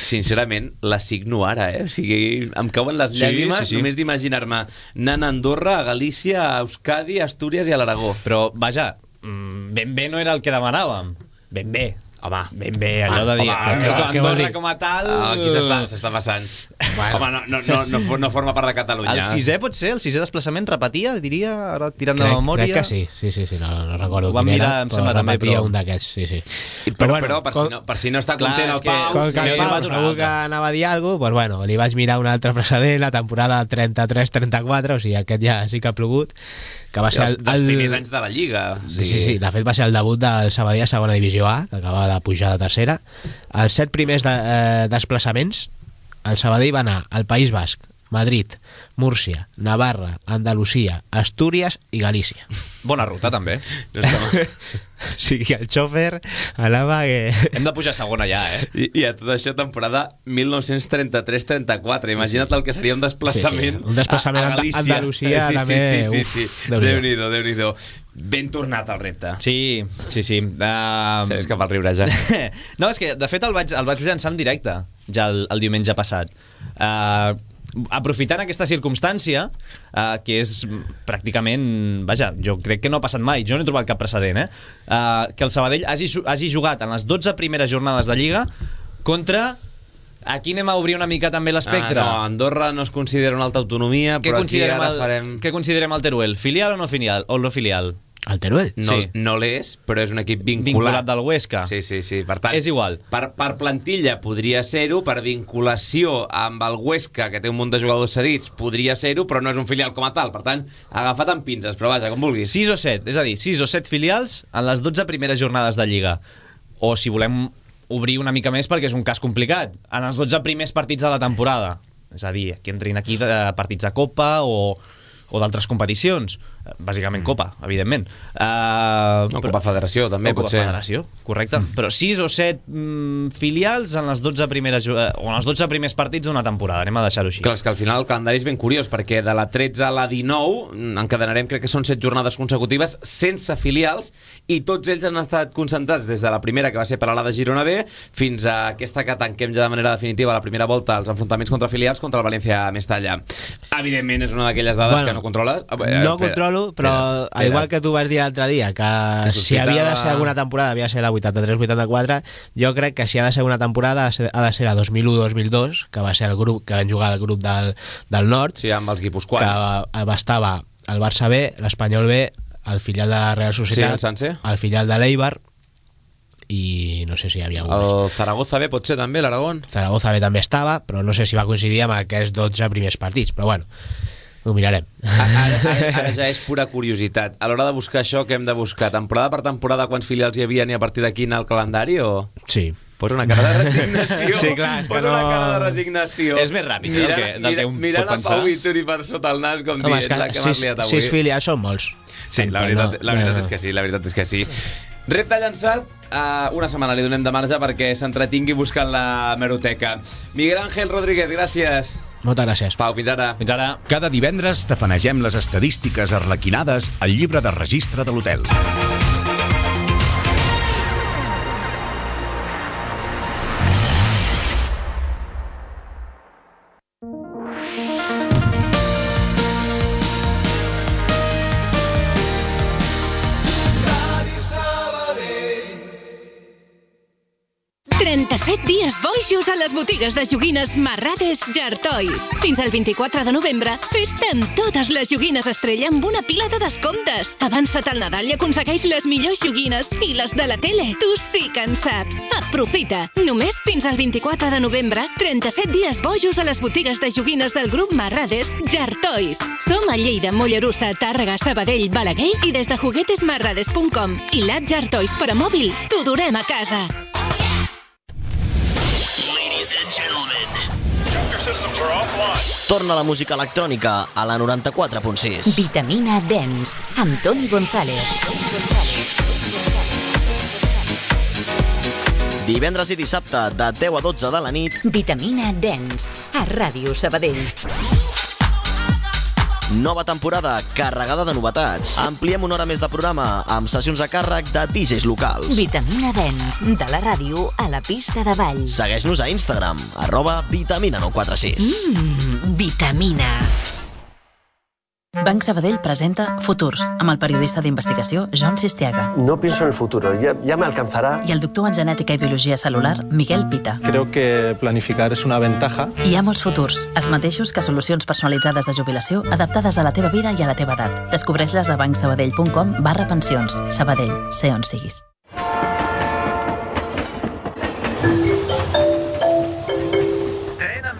S1: Sincerament, la signo ara, O sigui, em cauen les llàgrimes només d'imaginar-me anant a Andorra, a Galícia, a Euskadi, a Astúries i a l'Aragó.
S9: Però, vaja, ben bé no era el que demanàvem. Ben bé.
S1: Home,
S9: ben bé, allò de dir Andorra com a tal...
S1: Aquí s'està passant. Home, no forma part de Catalunya.
S9: El sisè pot ser? El sisè desplaçament repetia, diria, ara tirant de memòria?
S8: Crec que sí, no recordo
S9: ho vam
S8: quin
S9: mirar,
S8: era,
S9: em sembla
S8: però
S9: també,
S8: repetia
S9: però...
S8: un d'aquests, sí.
S1: Però per si no està content el Pau...
S8: Com que el Pau segur que anava a dir alguna cosa, doncs bueno, li vaig mirar un altre precedent, la temporada 33-34, o sigui, aquest ja sí que ha plogut, que va ser
S1: dels primers anys de la Lliga.
S8: Sí, de fet va ser el debut del Sabadell a segona divisió A, que acabava de pujar de tercera. Els 7 primers desplaçaments, el Sabadell va anar al País Basc, Madrid, Múrcia, Navarra, Andalusia, Astúries i Galícia.
S9: Bona ruta, també.
S8: O sigui, el xòfer anava...
S9: Hem de pujar a segona ja,
S1: I a tot això, temporada 1933-34. Imagina't el que seria un desplaçament,
S8: un desplaçament a Andalusia.
S1: Sí. Déu-n'hi-do. Ben tornat el repte.
S9: Sí.
S1: És que fa el riure ja.
S9: No, és que de fet el vaig llançar en directe ja el diumenge passat. Aprofitant aquesta circumstància, que és pràcticament, vaja, jo crec que no ha passat mai, jo no he trobat cap precedent, que el Sabadell hagi jugat en les 12 primeres jornades de Lliga contra... Aquí anem a obrir una mica també l'espectre.
S1: No, Andorra no es considera una alta autonomia, però aquí ara farem...
S9: Què considerem el Teruel? Filial o no filial?
S8: El Teruel?
S1: No l'és, però és un equip
S9: vinculat del Huesca.
S1: Sí. Per tant,
S9: és igual.
S1: Per plantilla podria ser-ho, per vinculació amb el Huesca, que té un munt de jugadors cedits, podria ser-ho, però no és un filial com a tal. Per tant, agafat amb pinces, però vaja, com vulguis.
S9: 6 o 7, és a dir, 6 o 7 filials en les 12 primeres jornades de Lliga. O si volem obrir una mica més, perquè és un cas complicat, en els 12 primers partits de la temporada. És a dir, que entrin aquí partits de Copa o d'altres competicions, bàsicament Copa, evidentment.
S1: Copa Federació, també, potser.
S9: Copa Federació, correcte. Però 6 o 7 filials en les 12 primeres o en els 12 primers partits d'una temporada, anem a deixar-ho així.
S1: Clar, és que al final el calendari és ben curiós, perquè de la 13 a la 19 encadenarem, crec que són 7 jornades consecutives sense filials, i tots ells han estat concentrats des de la primera, que va ser per a la de Girona B, fins a aquesta que tanquem ja de manera definitiva la primera volta, els enfrontaments contra filials contra el València Mestalla. Evidentment és una d'aquelles dades que no controles.
S8: No controlo, però al igual que tu vas dir l'altre dia, que si havia de ser alguna temporada havia de ser la 83-84, jo crec que si ha de ser una temporada ha de ser la 2001-2002, que va ser el grup que van jugar el grup del Nord,
S1: sí, amb els guipuscoans,
S8: que estava el Barça B, l'Espanyol B, el filial de la Real Societat,
S1: sí,
S8: el filial de l'Eibar, i no sé si hi havia algun
S1: més. El Zaragoza B potser també, l'Aragón.
S8: Zaragoza B també estava, però no sé si va coincidir amb aquests 12 primers partits, però bueno, ho mirarem.
S1: Ara ja és pura curiositat. A l'hora de buscar això, què hem de buscar? Temporada per temporada, quants filials hi havia i a partir d'aquí anar al calendari, o...?
S8: Sí.
S1: Posa una cara de resignació.
S8: Sí, clar,
S1: Posa una cara de resignació.
S9: És més ràpid del que un pot pensar.
S1: Mirant a Pau Vituri per sota el nas, com dient la que m'has liat avui.
S8: 6 filials són molts.
S1: Sí, la veritat és que sí. Repte llançat, una setmana li donem de marge perquè s'entretingui buscant la hemeroteca. Miguel Ángel Rodríguez, gràcies.
S8: Moltes gràcies.
S1: Pau, fins ara.
S9: Fins ara.
S7: Cada divendres tafanegem les estadístiques arlequinades al llibre de registre de l'hotel.
S10: Dies boixos a les botigues de joguines Marrades Jartois. Fins al 24 de novembre, festa amb totes les joguines estrella amb una pila de descomptes. Avança't al Nadal i aconsegueix les millors joguines i les de la tele. Tu sí que en saps. Aprofita. Només fins al 24 de novembre, 37 dies bojos a les botigues de joguines del grup Marrades Jartois. Som a Lleida, Mollerussa, Tàrrega, Sabadell, Balaguer i des de juguetesmarrades.com i l'app Jartois per a mòbil. T'ho durem a casa.
S11: Torna la música electrònica a la 94.6.
S3: Vitamina Dance, amb Toni González.
S11: Divendres i dissabte, de 10 a 12 de la nit.
S3: Vitamina Dance, a Ràdio Sabadell.
S11: Nova temporada carregada de novetats. Ampliem una hora més de programa amb sessions a càrrec de DJs locals.
S3: Vitamina Dance, de la ràdio a la pista de ball.
S11: Segueix-nos a Instagram, @vitamina946.
S3: Vitamina.
S2: Banc Sabadell presenta Futurs, amb el periodista d'investigació John Sistiaga.
S12: No pienso en el futuro, ya me alcanzará.
S2: I el doctor en genètica i biologia celular, Miguel Pita.
S13: Creo que planificar es una ventaja.
S2: Hi ha molts futurs, els mateixos que solucions personalitzades de jubilació adaptades a la teva vida i a la teva edat. Descobreix-les a bancsabadell.com/pensions. Sabadell, sé on siguis.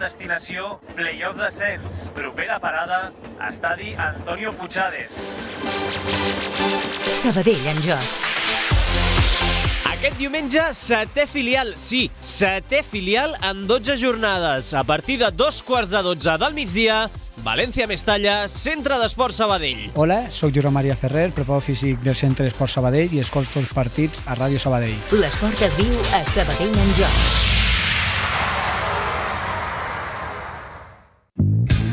S14: Destinació Playoff Descens. Propera parada, estadi Antonio Puigades.
S3: Sabadell en joc.
S8: Aquest diumenge, setè filial, sí, setè filial en 12 jornades. A partir de 2:15 del migdia, València-Mestalla, Centre d'Esport Sabadell.
S15: Hola, soc Josep Maria Ferrer, preparador físic del Centre d'Esport Sabadell i escolto els partits a Ràdio Sabadell.
S3: L'esport es viu a Sabadell en joc.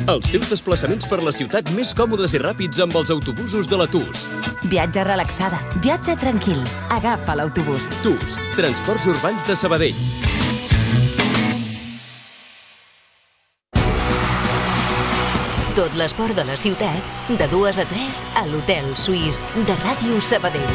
S16: Els teus desplaçaments per la ciutat més còmodes i ràpids amb els autobusos de la TUS.
S17: Viatge relaxada, viatge tranquil. Agafa l'autobús.
S16: TUS, Transports Urbans de Sabadell.
S3: Tot l'esport de la ciutat, de 2 a 3 a l'Hotel Suís de Ràdio Sabadell.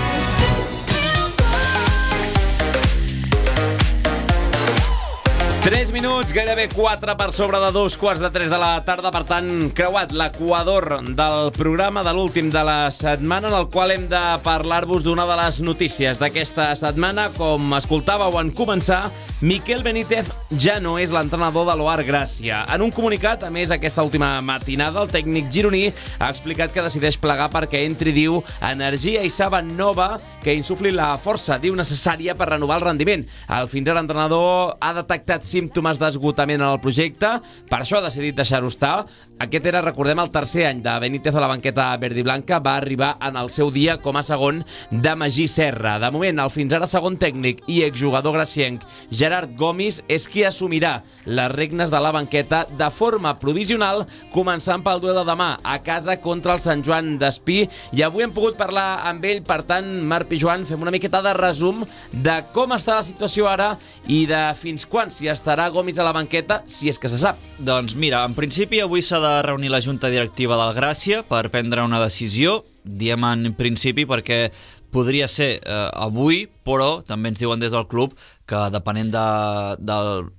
S1: 3 minuts, gairebé 4 per sobre de 2:15 de la tarda. Per tant, creuat l'equador del programa de l'últim de la setmana, en el qual hem de parlar-vos d'una de les notícies d'aquesta setmana. Com escoltàveu en començar, Miquel Benítez ja no és l'entrenador de l'Oar Gràcia. En un comunicat, a més, aquesta última matinada, el tècnic gironí ha explicat que decideix plegar perquè entri, diu, energia i saba nova que insufli la força, diu, necessària per renovar el rendiment. El fins ara entrenador ha detectat símptomes d'esgotament en el projecte, per això ha decidit deixar-ho estar. Aquest era, recordem, el tercer any de Benítez a la banqueta verd i blanca. Va arribar en el seu dia com a segon de Magí Serra. De moment, el fins ara segon tècnic i exjugador gracienc Gerard Gomis és qui assumirà les regnes de la banqueta de forma provisional, començant pel duel de demà a casa contra el Sant Joan d'Espí. I avui hem pogut parlar amb ell, per tant, Marc i Joan, fem una miqueta de resum de com està la situació ara i de fins quan s'hi estarà Gomis a la banqueta, si és que se sap.
S4: Doncs mira, en principi avui s'ha de reunir la Junta Directiva del Gràcia per prendre una decisió. Diem en principi perquè podria ser avui, però també ens diuen des del club que depenent del...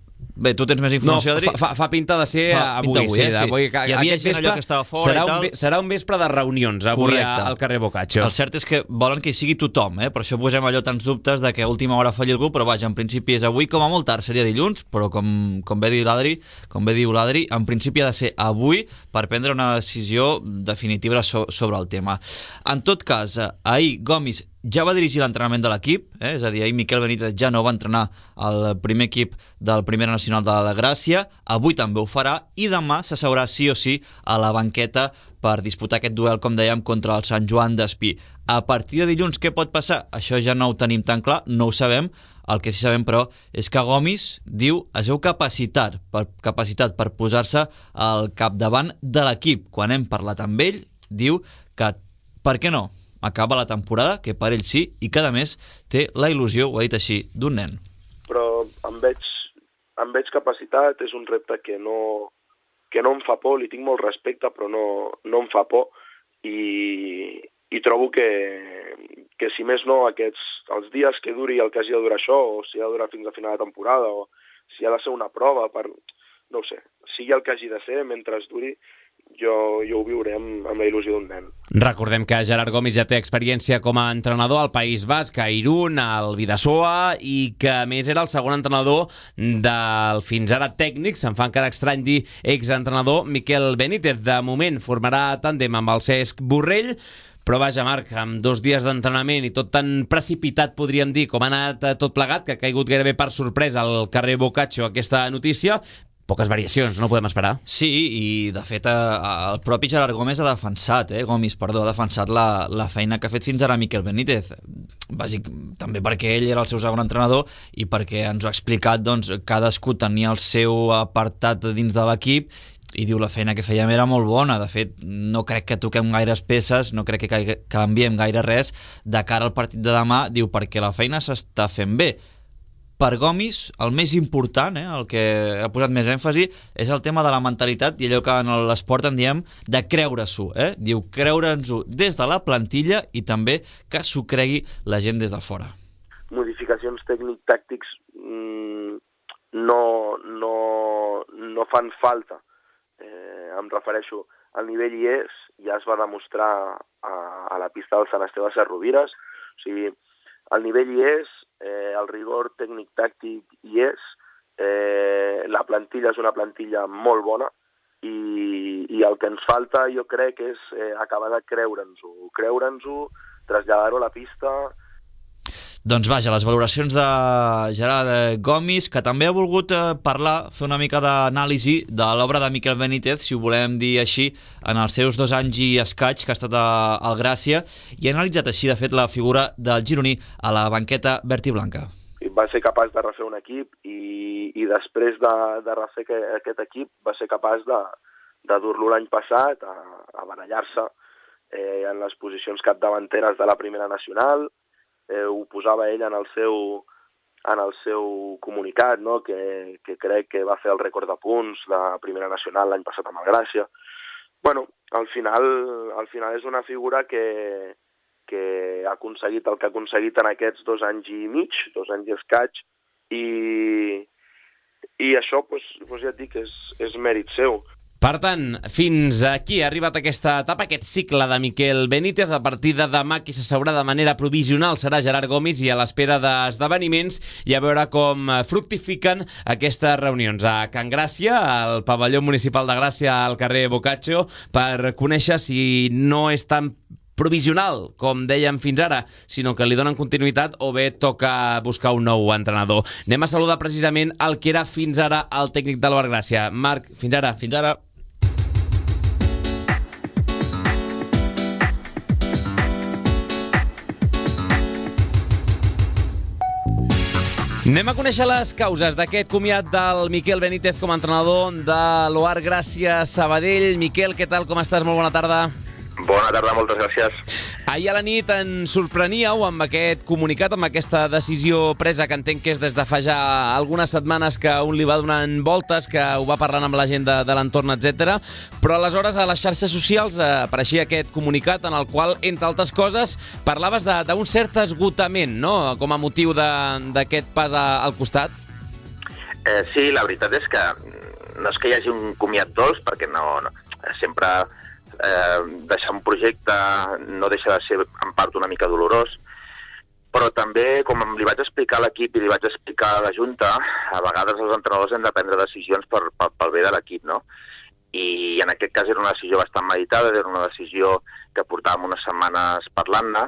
S4: Bé, tu tens més informació, Adri?
S1: Fa pinta de ser avui, sí.
S4: Hi havia gent allò que estava fora i tal.
S1: Serà un vespre de reunions avui al carrer Boccaccio.
S4: El cert és que volen que hi sigui tothom, per això posem allò tants dubtes de que a última hora falli algú, però vaja, en principi és avui, com a molt tard seria dilluns, però com bé diu l'Adri, en principi ha de ser avui per prendre una decisió definitiva sobre el tema. En tot cas, ahir Gomis ja va dirigir l'entrenament de l'equip, és a dir, ahir Miquel Benítez ja no va entrenar el primer equip del Primera Nacional de la Gràcia, avui també ho farà i demà s'asseurà sí o sí a la banqueta per disputar aquest duel, com dèiem, contra el Sant Joan d'Espí. A partir de dilluns què pot passar? Això ja no ho tenim tan clar, no ho sabem. El que sí sabem, però, és que Gomis diu es veu capacitat per posar-se al capdavant de l'equip. Quan hem parlat amb ell, diu que, per què no? Acaba la temporada, que per ell sí, i que a més té la il·lusió, ho ha dit així, d'un nen.
S18: Però em veig capacitat, és un repte que no em fa por, li tinc molt respecte, però no em fa por, i trobo que si més no, els dies que duri el que hagi de durar això, o si ha de durar fins a final de temporada, o si ha de ser una prova, no ho sé, sigui el que hagi de ser, mentre es duri, jo ho viuré amb la il·lusió d'un nen.
S1: Recordem que Gerard Gomis ja té experiència com a entrenador al País Basc, a Irún, al Bidasoa, i que a més era el segon entrenador del fins ara tècnic, se'n fa encara estrany dir exentrenador, Miquel Benítez. De moment formarà tàndem amb el Cesc Borrell, però vaja, Marc, amb 2 dies d'entrenament i tot tan precipitat, podríem dir, com ha anat tot plegat, que ha caigut gairebé per sorpresa al carrer Boccaccio aquesta notícia, poques variacions, no podem esperar.
S4: Sí, i de fet el propi Gerard Gomis ha defensat, ha defensat la feina que ha fet fins ara Miquel Benítez. També perquè ell era el seu segon entrenador i perquè ens ho ha explicat, doncs, cadascú tenia el seu apartat dins de l'equip i diu la feina que fèiem era molt bona. De fet, no crec que toquem gaires peces, no crec que canviem gaire res de cara al partit de demà, diu, perquè la feina s'està fent bé. per Gomis el més important, el que ha posat més èmfasi, és el tema de la mentalitat i allò que en l'esport en diem de creure-s'ho. Diu creure'ns-ho des de la plantilla i també que s'ho cregui la gent des de fora.
S18: Modificacions tècnic-tàctics no fan falta. Em refereixo, el nivell hi és, ja es va demostrar a la pista del Sant Esteve Sesrovires, o sigui, el nivell hi és, el rigor tècnic-tàctic hi és, la plantilla és una plantilla molt bona i el que ens falta jo crec és acabar de creure'ns-ho, traslladar-ho a la pista.
S4: Doncs vaja, les valoracions de Gerard Gomis, que també ha volgut parlar, fer una mica d'anàlisi de l'obra de Miquel Benítez, si ho volem dir així, en els seus 2 anys i escaig que ha estat al Gràcia, i ha analitzat així, de fet, la figura del gironí a la banqueta verd i blanca.
S18: Va ser capaç de refer un equip i després de refer aquest equip va ser capaç de dur-lo l'any passat a barallar-se en les posicions capdavanteres de la primera nacional. Ho posava ell en el seu comunicat, no? que crec que va fer el rècord de punts de primera nacional l'any passat amb el Gràcia. Bueno, al final és una figura que ha aconseguit el que ha aconseguit en aquests 2 anys i mig, 2 anys i escaig, i això, ja et dic, és mèrit seu.
S1: Per tant, fins aquí ha arribat aquesta etapa, aquest cicle de Miquel Benítez. A partir de demà qui s'asseurà de manera provisional serà Gerard Gomis i a l'espera d'esdeveniments i a veure com fructifiquen aquestes reunions a Can Gràcia, al pavelló municipal de Gràcia, al carrer Boccaccio, per conèixer si no és tan provisional, com dèiem fins ara, sinó que li donen continuïtat o bé toca buscar un nou entrenador. Anem a saludar precisament el que era fins ara el tècnic de l'Albert Gràcia. Marc, fins ara.
S4: Fins ara.
S1: Anem a conèixer les causes d'aquest comiat del Miquel Benítez com a entrenador de l'Oar Gràcia Sabadell. Miquel, què tal? Com estàs? Molt bona tarda.
S19: Bona tarda, moltes gràcies.
S1: Ahir a la nit ens sorpreníeu amb aquest comunicat, amb aquesta decisió presa, que entenc que és des de fa ja algunes setmanes que un li va donant voltes, que ho va parlant amb la gent de l'entorn, etc. Però aleshores a les xarxes socials apareixia aquest comunicat en el qual, entre altres coses, parlaves d'un cert esgotament, no?, com a motiu d'aquest pas al costat.
S19: Sí, la veritat és que no és que hi hagi un comiat dolç, perquè no sempre deixar un projecte no deixa de ser en part una mica dolorós, però també, com li vaig explicar a l'equip i li vaig explicar a la Junta, a vegades els entrenadors hem de prendre decisions pel bé de l'equip, no? I en aquest cas era una decisió bastant meditada, era una decisió que portàvem unes setmanes parlant-ne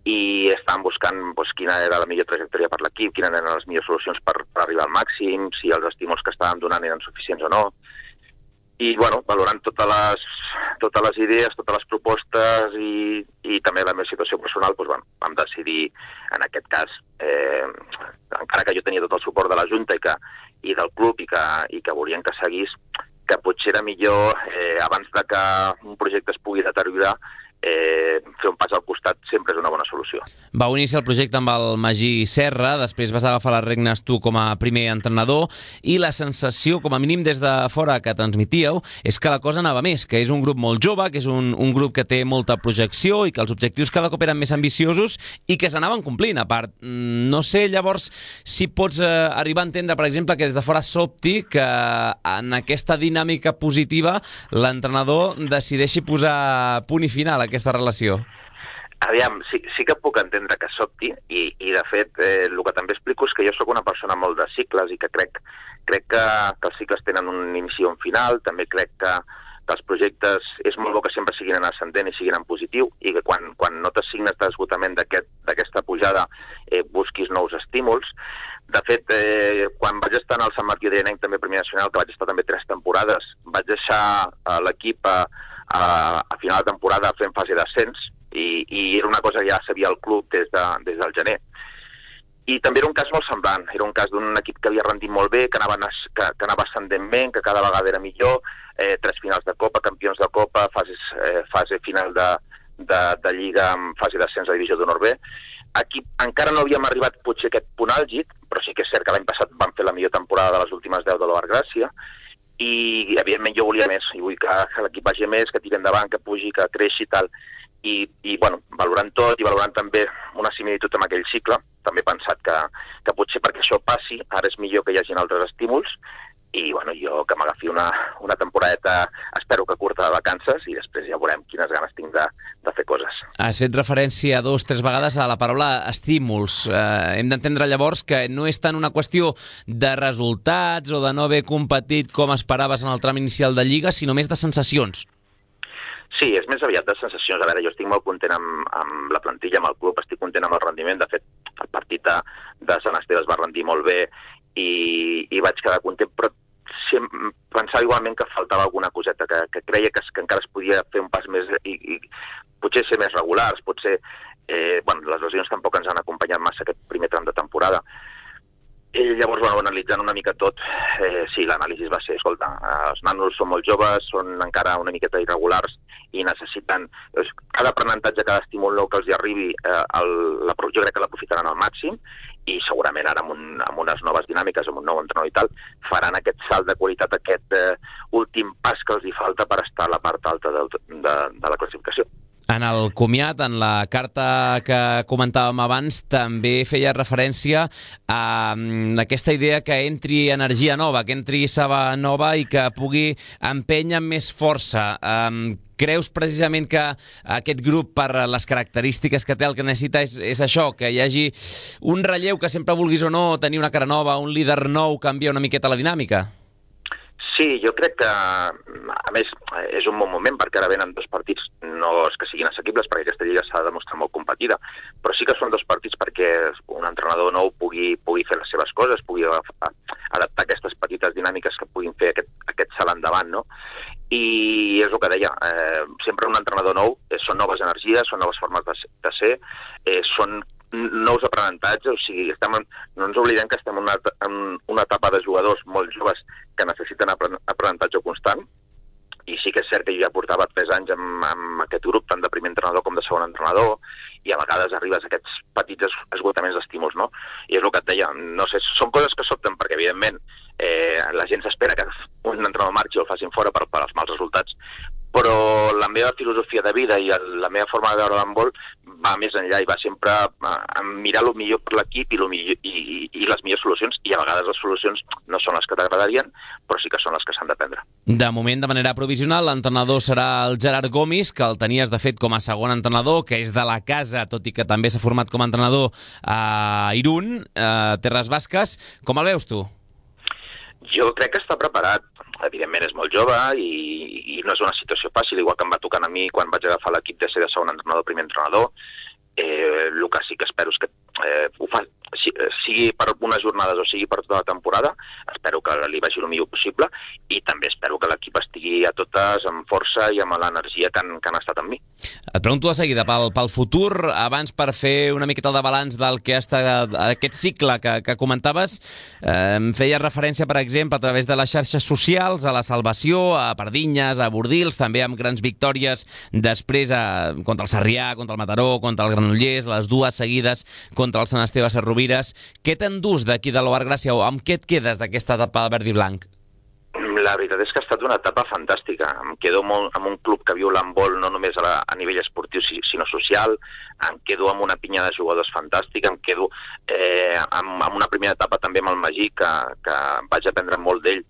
S19: i estàvem buscant quina era la millor trajectòria per l'equip, quines eren les millors solucions per arribar al màxim, si els estímuls que estàvem donant eren suficients o no. I, valorant totes les idees, totes les propostes i també la meva situació personal, vam decidir, en aquest cas, encara que jo tenia tot el suport de la Junta i del club i que volien que seguís, que potser era millor, abans de que un projecte es pugui deteriorar, fer un pas al costat sempre és una bona solució.
S1: Vau iniciar el projecte amb el Magí Serra, després vas agafar les regnes tu com a primer entrenador i la sensació, com a mínim des de fora que transmitíeu, és que la cosa anava més, que és un grup molt jove, que és un grup que té molta projecció i que els objectius cada cop eren més ambiciosos i que s'anaven complint, a part. No sé, llavors, si pots arribar a entendre, per exemple, que des de fora sobti que en aquesta dinàmica positiva l'entrenador decideixi posar punt i final a aquesta relació.
S19: Aviam, sí que puc entendre que sobti i de fet, el que també explico és que jo sóc una persona molt de cicles i que crec que els cicles tenen un inici i un final, també crec que els projectes és molt bo que sempre siguin en ascendent i siguin en positiu i que quan notes signes d'esgotament d'aquesta pujada busquis nous estímuls. De fet, quan vaig estar en el Sant Martí d'Arianenc, també Primer Nacional, que vaig estar també 3 temporades, vaig deixar l'equip a final de temporada fent fase d'ascens i era una cosa que ja sabia el club des del gener. I també era un cas molt semblant, era un cas d'un equip que havia rendit molt bé, que anava ascendentment, que cada vegada era millor, 3 finals de Copa, campions de Copa, fase final de Lliga amb fase d'ascens a Divisió d'Honor B. Aquí encara no havíem arribat potser a aquest punt àlgid, però sí que és cert que l'any passat vam fer la millor temporada de les últimes 10 de l'Ovar Gràcia, i evidentment jo volia més, i vull que l'equip vagi més, que tiri endavant, que pugi, que creixi i tal, i bueno, valorant tot i valorant també una similitud amb aquell cicle, també he pensat que potser perquè això passi, ara és millor que hi hagin altres estímuls, i bueno, jo que m'agafi una temporadeta, espero que curta de vacances, i després ja veurem quines ganes tinc de fer coses.
S1: Has fet referència 2 o 3 vegades a la paraula estímuls. Hem d'entendre llavors que no és tant una qüestió de resultats o de no haver competit com esperaves en el tram inicial de Lliga, sinó més de sensacions.
S19: Sí, és més aviat de sensacions. A veure, jo estic molt content amb la plantilla, amb el club, estic content amb el rendiment. De fet, el partit de Sant Esteve es va rendir molt bé i vaig quedar content, però pensava igualment que faltava alguna coseta, que creia que encara es podia fer un pas més i potser ser més regulars, potser... les lesions tampoc ens han acompanyat massa aquest primer tram de temporada. Llavors, analitzant una mica tot, sí, l'anàlisi va ser, escolta, els nanos són molt joves, són encara una miqueta irregulars i necessiten... Cada aprenentatge, cada estímul nou que els hi arribi, jo crec que l'aprofitaran al màxim, i segurament ara amb unes noves dinàmiques, amb un nou entrenador i tal, faran aquest salt de qualitat, aquest últim pas que els hi falta per estar a la part alta de la classificació.
S1: En el comiat, en la carta que comentàvem abans, també feia referència a aquesta idea que entri energia nova, que entri saba nova i que pugui empènyer amb més força. Creus precisament que aquest grup, per les característiques que té, el que necessita és això, que hi hagi un relleu, que sempre vulguis o no tenir una cara nova, un líder nou, canvia una miqueta la dinàmica?
S19: Sí, jo crec que, a més, és un bon moment perquè ara venen 2 partits, no és que siguin assequibles perquè aquesta lliga s'ha de demostrar molt competida, però sí que són 2 partits perquè un entrenador nou pugui fer les seves coses, pugui adaptar aquestes petites dinàmiques que puguin fer aquest salt endavant, no? I és el que deia, sempre un entrenador nou són noves energies, són noves formes de ser, són nous aprenentatges, o sigui, no ens oblidem que estem en una etapa de jugadors molt joves que necessiten aprenentatge constant, i sí que és cert que jo ja portava 3 anys amb aquest grup, tant de primer entrenador com de segon entrenador, i a vegades arribes a aquests petits esgotaments d'estímuls, no? I és el que et deia, no sé, són coses que sobten perquè, evidentment, la gent s'espera que un entrenador marxi o el facin fora per als mals resultats, però la meva filosofia de vida i la meva forma de veure l'handbol va més enllà i va sempre a mirar el millor per l'equip i les millors solucions, i a vegades les solucions no són les que t'agradarien, però sí que són les que s'han de prendre.
S1: De moment, de manera provisional, l'entrenador serà el Gerard Gomis, que el tenies de fet com a segon entrenador, que és de la casa, tot i que també s'ha format com a entrenador a Irún, Terres Basques. Com el veus tu?
S19: Jo crec que està preparat. Evidentment és molt jove i no és una situació fàcil, igual que em va tocant a mi quan vaig agafar l'equip de ser de segon entrenador, primer entrenador. El que sí que espero és que ho fa, sigui per unes jornades o sigui per tota la temporada, espero que li vagi el millor possible, i també espero que l'equip estigui a totes amb força i amb l'energia que han estat amb mi.
S1: Et pregunto de seguida pel futur, abans per fer una miqueta de balanç del que ha estat aquest cicle que comentaves. Feies referència, per exemple, a través de les xarxes socials, a la salvació, a Pardinyes, a Bordils, també amb grans victòries després contra el Sarrià, contra el Mataró, contra el Granollers, les 2 seguides contra el Sant Esteve Sesrovires. Què t'endús d'aquí de l'Ovar Gràcia o amb què et quedes d'aquesta etapa de verd i blanc?
S19: La veritat és que ha estat una etapa fantàstica. Em quedo molt amb un club que viu l'handbol no només a nivell esportiu sinó social, em quedo amb una pinya de jugadors fantàstica, em quedo amb una primera etapa també amb el Magí que vaig aprendre molt d'ell,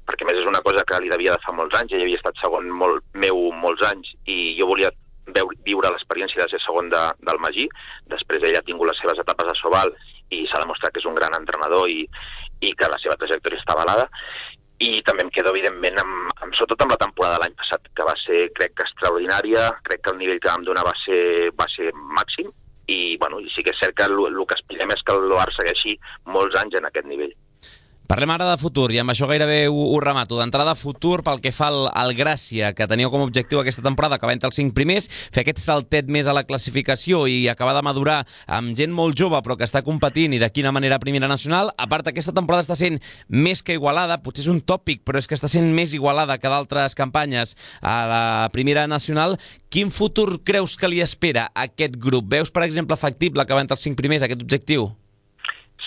S19: perquè més és una cosa que li devia de fa molts anys, ell havia estat segon meu molts anys i jo volia viure l'experiència de ser segon del Magí. Després ell ha tingut les seves etapes a Sobal i s'ha demostrat que és un gran entrenador i que la seva trajectòria està avalada. I també em quedo, evidentment, sobretot amb la temporada de l'any passat, que va ser, crec que extraordinària, crec que el nivell que vam donar va ser màxim, i sí que és cert que el que aspirem és que l'OAR segueixi molts anys en aquest nivell.
S1: Parlem ara de futur, i amb això gairebé ho remato. D'entrada, futur pel que fa al Gràcia, que tenia com a objectiu aquesta temporada acabar entre els 5 primers, fer aquest saltet més a la classificació i acabar de madurar amb gent molt jove però que està competint i de quina manera a primera nacional. A part, aquesta temporada està sent més que igualada, potser és un tòpic, però és que està sent més igualada que d'altres campanyes a la primera nacional. Quin futur creus que li espera a aquest grup? Veus, per exemple, factible acabar entre els 5 primers, aquest objectiu?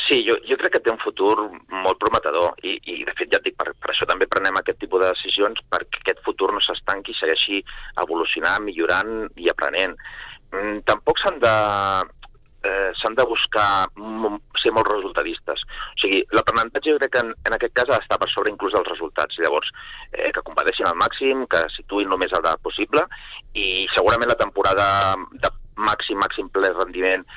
S19: Sí, jo crec que té un futur molt prometedor i de fet ja et dic, per això també prenem aquest tipus de decisions, perquè aquest futur no s'estanqui i segueixi evolucionant, millorant i aprenent. Tampoc s'han de buscar ser molt resultadistes. O sigui, l'aprenentatge jo crec que en aquest cas ha d'estar per sobre inclús dels resultats. Llavors, que competeixin al màxim, que situïn el més alt possible i segurament la temporada de màxim ple rendiment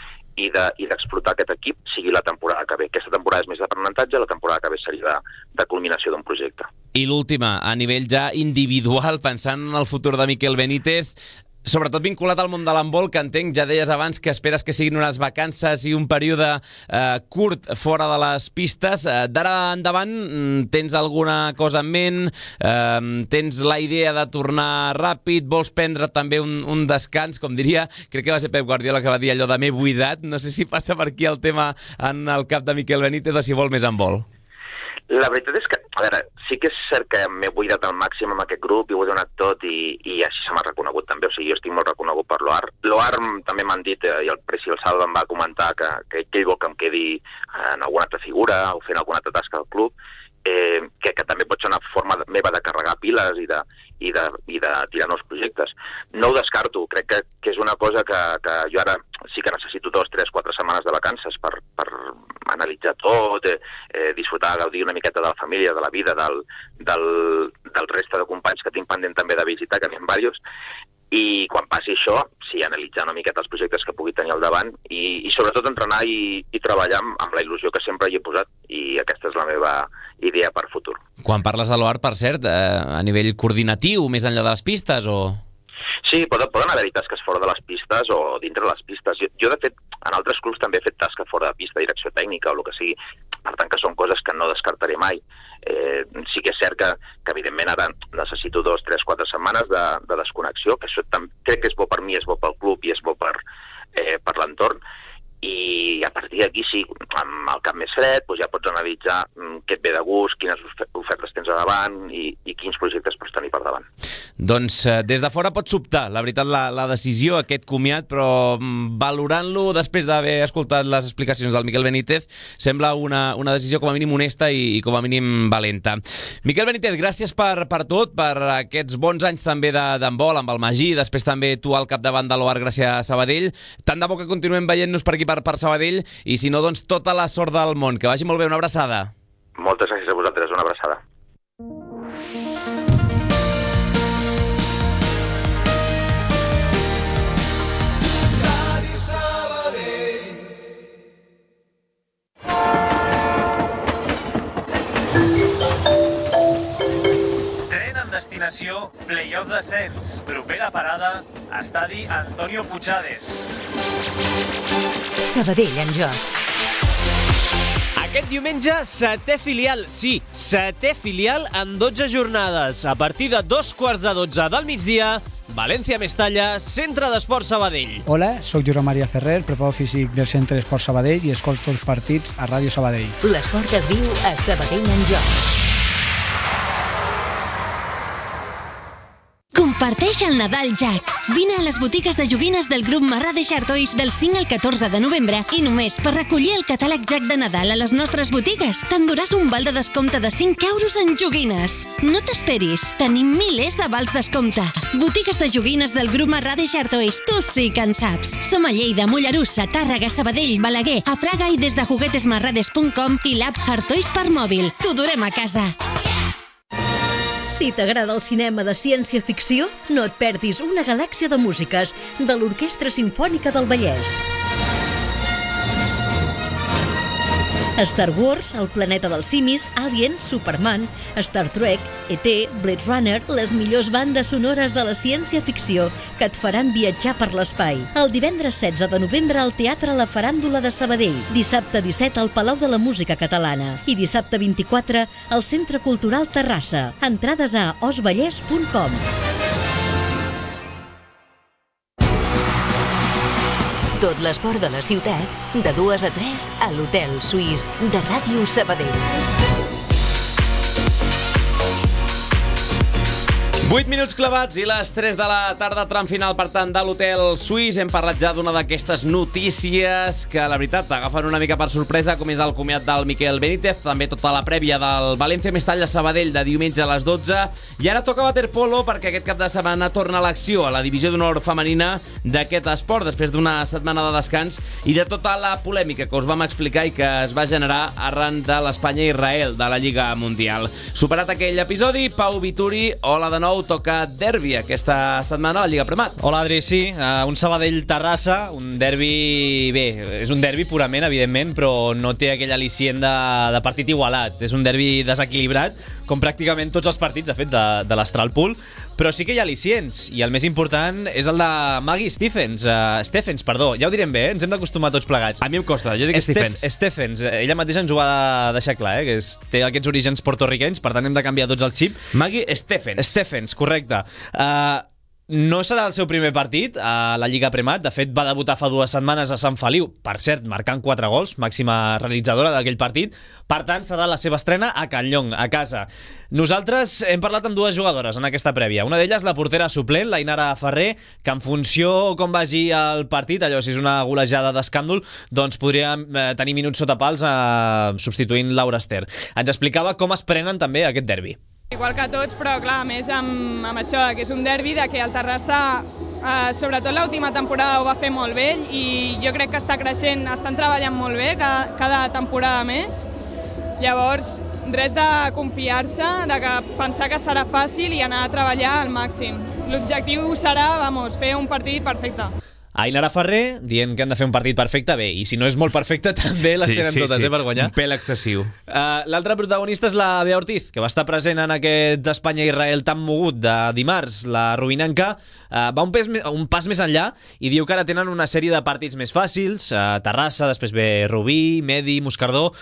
S19: i d'explotar aquest equip sigui la temporada que ve. Aquesta temporada és més d'aprenentatge, la temporada que ve seria de culminació d'un projecte.
S1: I l'última, a nivell ja individual, pensant en el futur de Miquel Benítez, sobretot vinculat al món de l'handbol, que entenc, ja deies abans que esperes que siguin unes vacances i un període curt fora de les pistes. D'ara endavant, tens alguna cosa en ment? Tens la idea de tornar ràpid? Vols prendre també un descans? Com diria, crec que va ser Pep Guardiola que va dir allò de m'he buidat. No sé si passa per aquí el tema en el cap de Miquel Benítez o si vol més handbol.
S19: La veritat és que, a veure, sí que és cert que m'he buidat al màxim amb aquest grup i ho he donat tot i així se m'ha reconegut també, o sigui, jo estic molt reconegut per l'OAR. L'OAR també m'han dit, i el Preci i el Salva em va comentar que ell vol que em quedi en alguna altra figura o fent alguna altra tasca del club, que també pot ser una forma meva de carregar piles i de tirar nous projectes. No ho descarto, crec que és una cosa que jo ara sí que necessito 2, 3, 4 setmanes de vacances per analitzar tot, disfrutar, gaudir una miqueta de la família, de la vida, del reste de companys que tinc pendent també de visitar, que n'hi ha diversos, i quan passi això, sí, analitzar una miqueta els projectes que pugui tenir al davant i sobretot entrenar i treballar amb la il·lusió que sempre hi he posat i aquesta és la meva idea per futur.
S1: Quan parles de l'OAR, per cert, a nivell coordinatiu, més enllà de les pistes, o...?
S19: Sí, poden haver-hi tasques fora de les pistes o dintre de les pistes. Jo, de fet, en altres clubs també he fet tasca fora de pista, direcció tècnica o el que sigui. Per tant, que són coses que no descartaré mai. Sí que és cert que evidentment, ara necessito 2, 3, 4 setmanes de desconnexió, que això crec que és bo per mi, és bo pel club i és bo per l'entorn. I a partir d'aquí, sí, amb el cap més fred, doncs ja pots analitzar què et ve de gust, quines ofertes tens a davant i quins projectes pots tenir per davant.
S1: Doncs des de fora pots sobtar, la veritat, la decisió, aquest comiat, però valorant-lo després d'haver escoltat les explicacions del Miquel Benítez, sembla una decisió com a mínim honesta i com a mínim valenta. Miquel Benítez, gràcies per tot, per aquests bons anys també d'handbol amb el Magí, després també tu al capdavant de l'OAR Gràcia Sabadell. Tant de bo que continuem veient-nos per aquí per Sabadell i si no, doncs tota la sort del món. Que vagi molt bé, una abraçada.
S19: Moltes gràcies a vosaltres, una abraçada.
S14: Tren en destinació Playoff Descens. Propera parada, estadi Antonio Puigades.
S3: Sabadell en joc.
S8: Aquest diumenge, setè filial, sí, setè filial en 12 jornades. A partir de 2:15 del migdia, València-Mestalla, Centre d'Esport Sabadell.
S15: Hola, soc Josep Maria Ferrer, preparador físic del Centre d'Esport Sabadell i escolto els partits a Ràdio Sabadell.
S3: L'esport es viu a Sabadell en joc. Comparteix el Nadal Jack. Vine a les botigues de joguines del grup Marrà de Xartois del 5 al 14 de novembre i només per recollir el catàleg Jack de Nadal a les nostres botigues t'enduràs un val de descompte de 5 euros en joguines. No t'esperis, tenim milers de vals descompte. Botigues de joguines del grup Marrà de Xartois, tu sí que en saps. Som a Lleida, Mollerussa, Tàrrega, Sabadell, Balaguer, a Fraga i des de juguetesmarrades.com i l'app Hardtoys per mòbil. T'ho durem a casa.
S20: Si t'agrada el cinema de ciència-ficció, no et perdis Una galàxia de músiques, de l'Orquestra Simfònica del Vallès. Star Wars, El planeta dels simis, Alien, Superman, Star Trek, E.T., Blade Runner, les millors bandes sonores de la ciència-ficció que et faran viatjar per l'espai. El divendres 16 de novembre al Teatre La Faràndula de Sabadell, dissabte 17 al Palau de la Música Catalana i dissabte 24 al Centre Cultural Terrassa. Entrades a osvallès.com.
S3: Tot l'esport de la ciutat, de 2 a 3 a l'Hotel Suís de Ràdio Sabadell.
S1: 8 minuts clavats i les 3 de la tarda, tram final, per tant, de l'Hotel Suís. Hem parlat ja d'una d'aquestes notícies que, la veritat, agafen una mica per sorpresa, com és el comiat del Miquel Benítez, també tota la prèvia del València-Mestalla-Sabadell de diumenge a les 12. I ara toca waterpolo, perquè aquest cap de setmana torna a l'acció a la divisió d'honor femenina d'aquest esport, després d'una setmana de descans i de tota la polèmica que us vam explicar i que es va generar arran de l'Espanya-Israel de la Lliga Mundial. Superat aquell episodi, Pau Vituri, hola de nou. Toca derbi aquesta setmana a la Lliga Premat.
S9: Hola, Adri, sí. Un Sabadell-Terrassa, un derbi... Bé, és un derbi purament, evidentment, però no té aquell al·licient de partit igualat. És un derbi desequilibrat, com pràcticament tots els partits, de fet, de l'Astral Pool, però sí que hi ha al·licients, i el més important és el de Maggie Stephens, ja ho direm bé, ens hem d'acostumar tots plegats.
S1: A mi em costa, jo dic
S9: Stephens, ella mateixa ens ho va deixar clar, que té aquests orígens portorriquenys, per tant hem de canviar tots el xip.
S1: Maggie
S9: Stephens, correcte. No serà el seu primer partit a la Lliga Premat. De fet, va debutar fa 2 setmanes a Sant Feliu, per cert, marcant 4 gols, màxima realitzadora d'aquell partit. Per tant, serà la seva estrena a Can Llong, a casa. Nosaltres hem parlat amb 2 jugadores en aquesta prèvia. Una d'elles, la portera suplent, l'Ainara Ferrer, que en funció com vagi el partit, allò, si és una golejada d'escàndol, doncs podria tenir minuts sota pals substituint Laura Ester. Ens explicava com es prenen també aquest derbi.
S21: Igual que tots, però clar, a més amb això, que és un derbi, de que el Terrassa, sobretot l'última temporada ho va fer molt bé i jo crec que està creixent, estan treballant molt bé cada temporada més. Llavors, res de confiar-se, de pensar que serà fàcil i anar a treballar al màxim. L'objectiu serà, fer un partit perfecte.
S9: Ainara Ferrer dient que han de fer un partit perfecte, bé, i si no és molt perfecte també les tenen totes, per guanyar.
S1: Un pèl excessiu.
S9: L'altra protagonista és la Bea Ortiz, que va estar present en aquest Espanya-Israel tan mogut de dimarts. La rubinenca va un pas més enllà i diu que ara tenen una sèrie de partits més fàcils. Terrassa, després ve Rubí, Medi, Moscardó,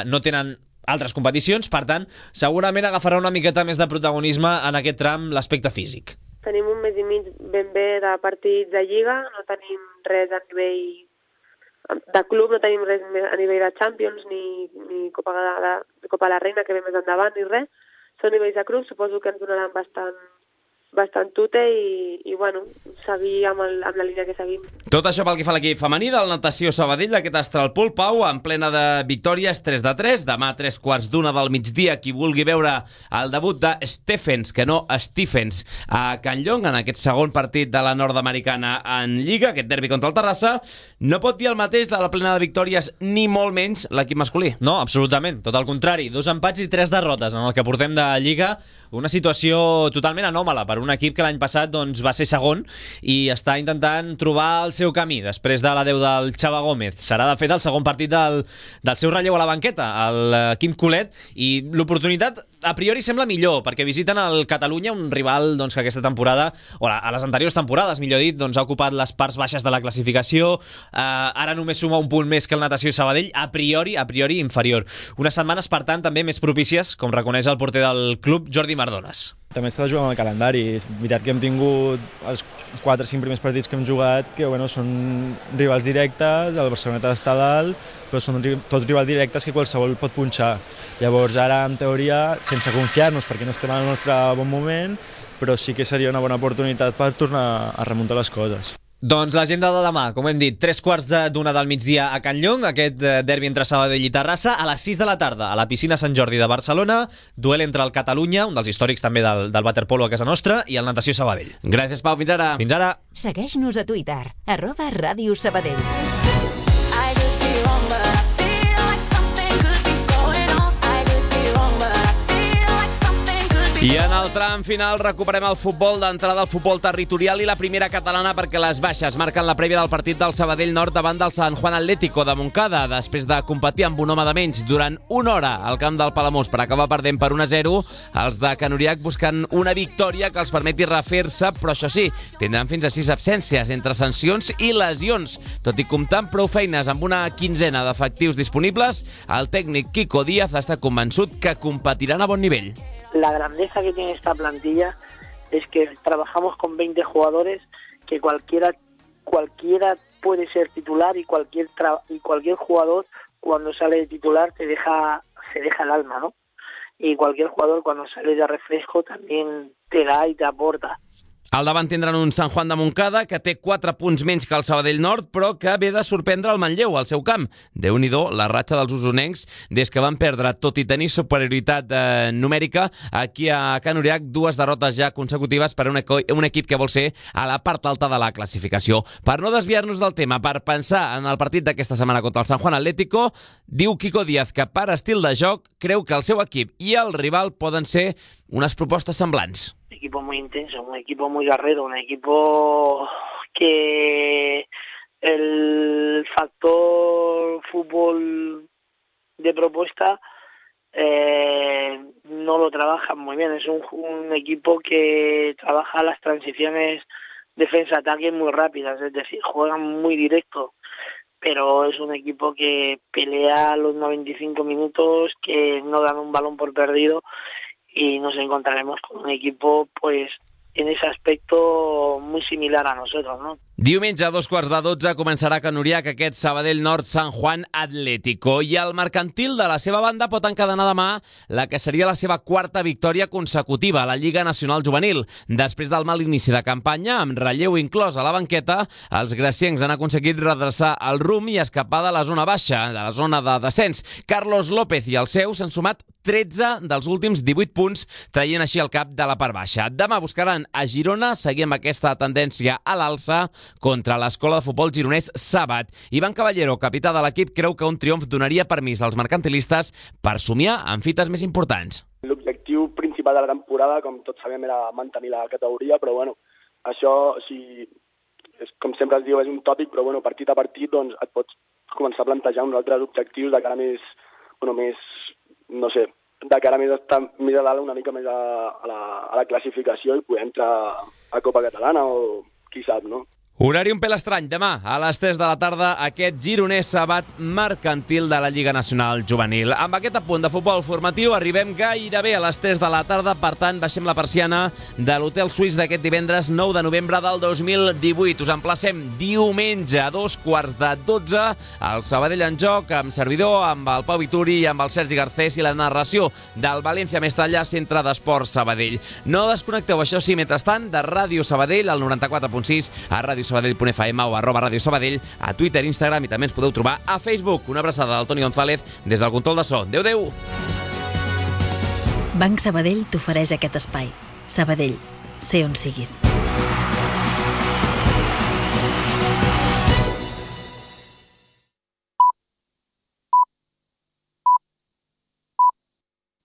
S9: no tenen altres competicions, per tant, segurament agafarà una miqueta més de protagonisme en aquest tram l'aspecte físic.
S22: Tenim un mes i mig ben bé de partits de Lliga, no tenim res a nivell de club, no tenim res a nivell de Champions ni Copa de la Reina, que ve més endavant, ni res. Són nivells de club, suposo que ens donaran bastant tute i bueno, seguir amb la línia que seguim.
S1: Tot això pel que fa a l'equip femení del Natació Sabadell, aquest Astral Pool, Pau, en plena de victòries, 3-3, demà 3:15 del migdia, qui vulgui veure el debut de Stephens, que no Stephens, a Can Llong, en aquest segon partit de la nord-americana en Lliga, aquest derbi contra el Terrassa, no pot dir el mateix de la plena de victòries, ni molt menys l'equip masculí.
S9: No, absolutament, tot el contrari, 2 empats i 3 derrotes en el que portem de Lliga, una situació totalment anòmala per un equip que l'any passat va ser segon i està intentant trobar el seu camí després de l'adeu del Xava Gómez. Serà, de fet, el segon partit del seu relleu a la banqueta, el Quim Colet, i l'oportunitat a priori sembla millor, perquè visiten el Catalunya, un rival que aquesta temporada, o a les anteriors temporades, millor dit, ha ocupat les parts baixes de la classificació, ara només suma un punt més que el Natació Sabadell, a priori inferior. Unes setmanes, per tant, també més propícies, com reconeix el porter del club, Jordi Mardones.
S23: També s'ha de jugar amb el calendari. És veritat que hem tingut els 4 o 5 primers partits que hem jugat, que són rivals directes, el Barceloneta està dalt, però són tots rivals directes que qualsevol pot punxar. Llavors ara, en teoria, sense confiar-nos perquè no estem en el nostre bon moment, però sí que seria una bona oportunitat per tornar a remuntar les coses.
S9: Doncs l'agenda de demà, com hem dit, 3:15 del migdia a Can Llong, aquest derbi entre Sabadell i Terrassa, a les 6 de la tarda a la piscina Sant Jordi de Barcelona, duel entre el Catalunya, un dels històrics també del waterpolo a casa nostra, i el Natació Sabadell.
S1: Gràcies, Pau, fins ara.
S9: Fins ara.
S17: Segueix-nos a Twitter, @Ràdio Sabadell.
S1: I en el tram final recuperem el futbol d'entrada, el futbol territorial i la primera catalana, perquè les baixes marquen la prèvia del partit del Sabadell Nord davant del San Juan Atlético de Montcada, després de competir amb un home de menys durant una hora al camp del Palamós per acabar perdent per 1-0. Els de Can Uriach busquen una victòria que els permeti refer-se, però això sí, tindran fins a 6 absències entre sancions i lesions. Tot i comptar amb prou feines amb una quinzena d'efectius disponibles, el tècnic Quico Díaz està convençut que competiran a bon nivell.
S24: La grandeza que tiene esta plantilla es que trabajamos con 20 jugadores que cualquiera puede ser titular y cualquier jugador cuando sale de titular se deja el alma, ¿no? y cualquier jugador cuando sale de refresco también te da y te aporta.
S1: Al davant tindran un Sant Juan de Montcada que té 4 punts menys que el Sabadell Nord, però que ve de sorprendre el Manlleu al seu camp. Déu-n'hi-do la ratxa dels usonencs des que van perdre, tot i tenir superioritat numèrica, aquí a Can Uriach, 2 derrotes ja consecutives per a un equip que vol ser a la part alta de la classificació. Per no desviar-nos del tema, per pensar en el partit d'aquesta setmana contra el Sant Juan Atlético, diu Quico Díaz que per estil de joc creu que el seu equip i el rival poden ser unes propostes semblants.
S24: Un equipo muy intenso, un equipo muy guerrero, un equipo que el factor fútbol de propuesta no lo trabajan muy bien. Es un equipo que trabaja las transiciones defensa-ataque muy rápidas, es decir, juegan muy directo, pero es un equipo que pelea los 95 minutos, que no dan un balón por perdido, y nos encontraremos con un equipo, pues, en ese aspecto muy similar a nosotros, ¿no?
S1: Diumenge a 11:15 començarà a Can Uriach aquest Sabadell Nord Sant Juan Atlético, i el mercantil de la seva banda pot encadenar demà la que seria la seva 4ª victòria consecutiva a la Lliga Nacional Juvenil. Després del mal inici de campanya, amb relleu inclòs a la banqueta, els graciencs han aconseguit redreçar el rumb i escapar de la zona baixa, de la zona de descens. Carlos López i els seus han sumat 13 dels últims 18 punts, traient així el cap de la part baixa. Demà buscaran a Girona seguir amb aquesta tendència a l'alça contra l'Escola de Futbol gironès Sabat. Ivan Caballero, capità de l'equip, creu que un triomf donaria permís als mercantilistes per somiar en fites més importants.
S18: L'objectiu principal de la temporada, com tots sabem, era mantenir la categoria, però bueno, això, com sempre es diu, és un tòpic, però bueno, partit a partit doncs, et pots començar a plantejar uns altres objectius de cara més, no sé, de cara més a estar més a dalt, una mica més a la classificació i poder entrar a Copa Catalana o qui sap, no?
S1: Horari un pèl estrany. Demà, a les 3 de la tarda, aquest gironès Sabat mercantil de la Lliga Nacional Juvenil. Amb aquest apunt de futbol formatiu arribem gairebé a les 3 de la tarda, per tant, baixem la persiana de l'Hotel Suís d'aquest divendres 9 de novembre del 2018. Us emplacem diumenge a 11:15 al Sabadell en joc, amb servidor, amb el Pau Vituri i amb el Sergi Garcés i la narració del València Mestalla, Centre d'Esports Sabadell. No desconnecteu, això sí, mentrestant, de Ràdio Sabadell, al 94.6, a radiosabadell.fm o @Radio Sabadell, a Twitter, Instagram, i també ens podeu trobar a Facebook. Una abraçada del Toni González des del control de so. Adéu-adéu!
S2: Banc Sabadell t'ofereix aquest espai. Sabadell, sé on siguis.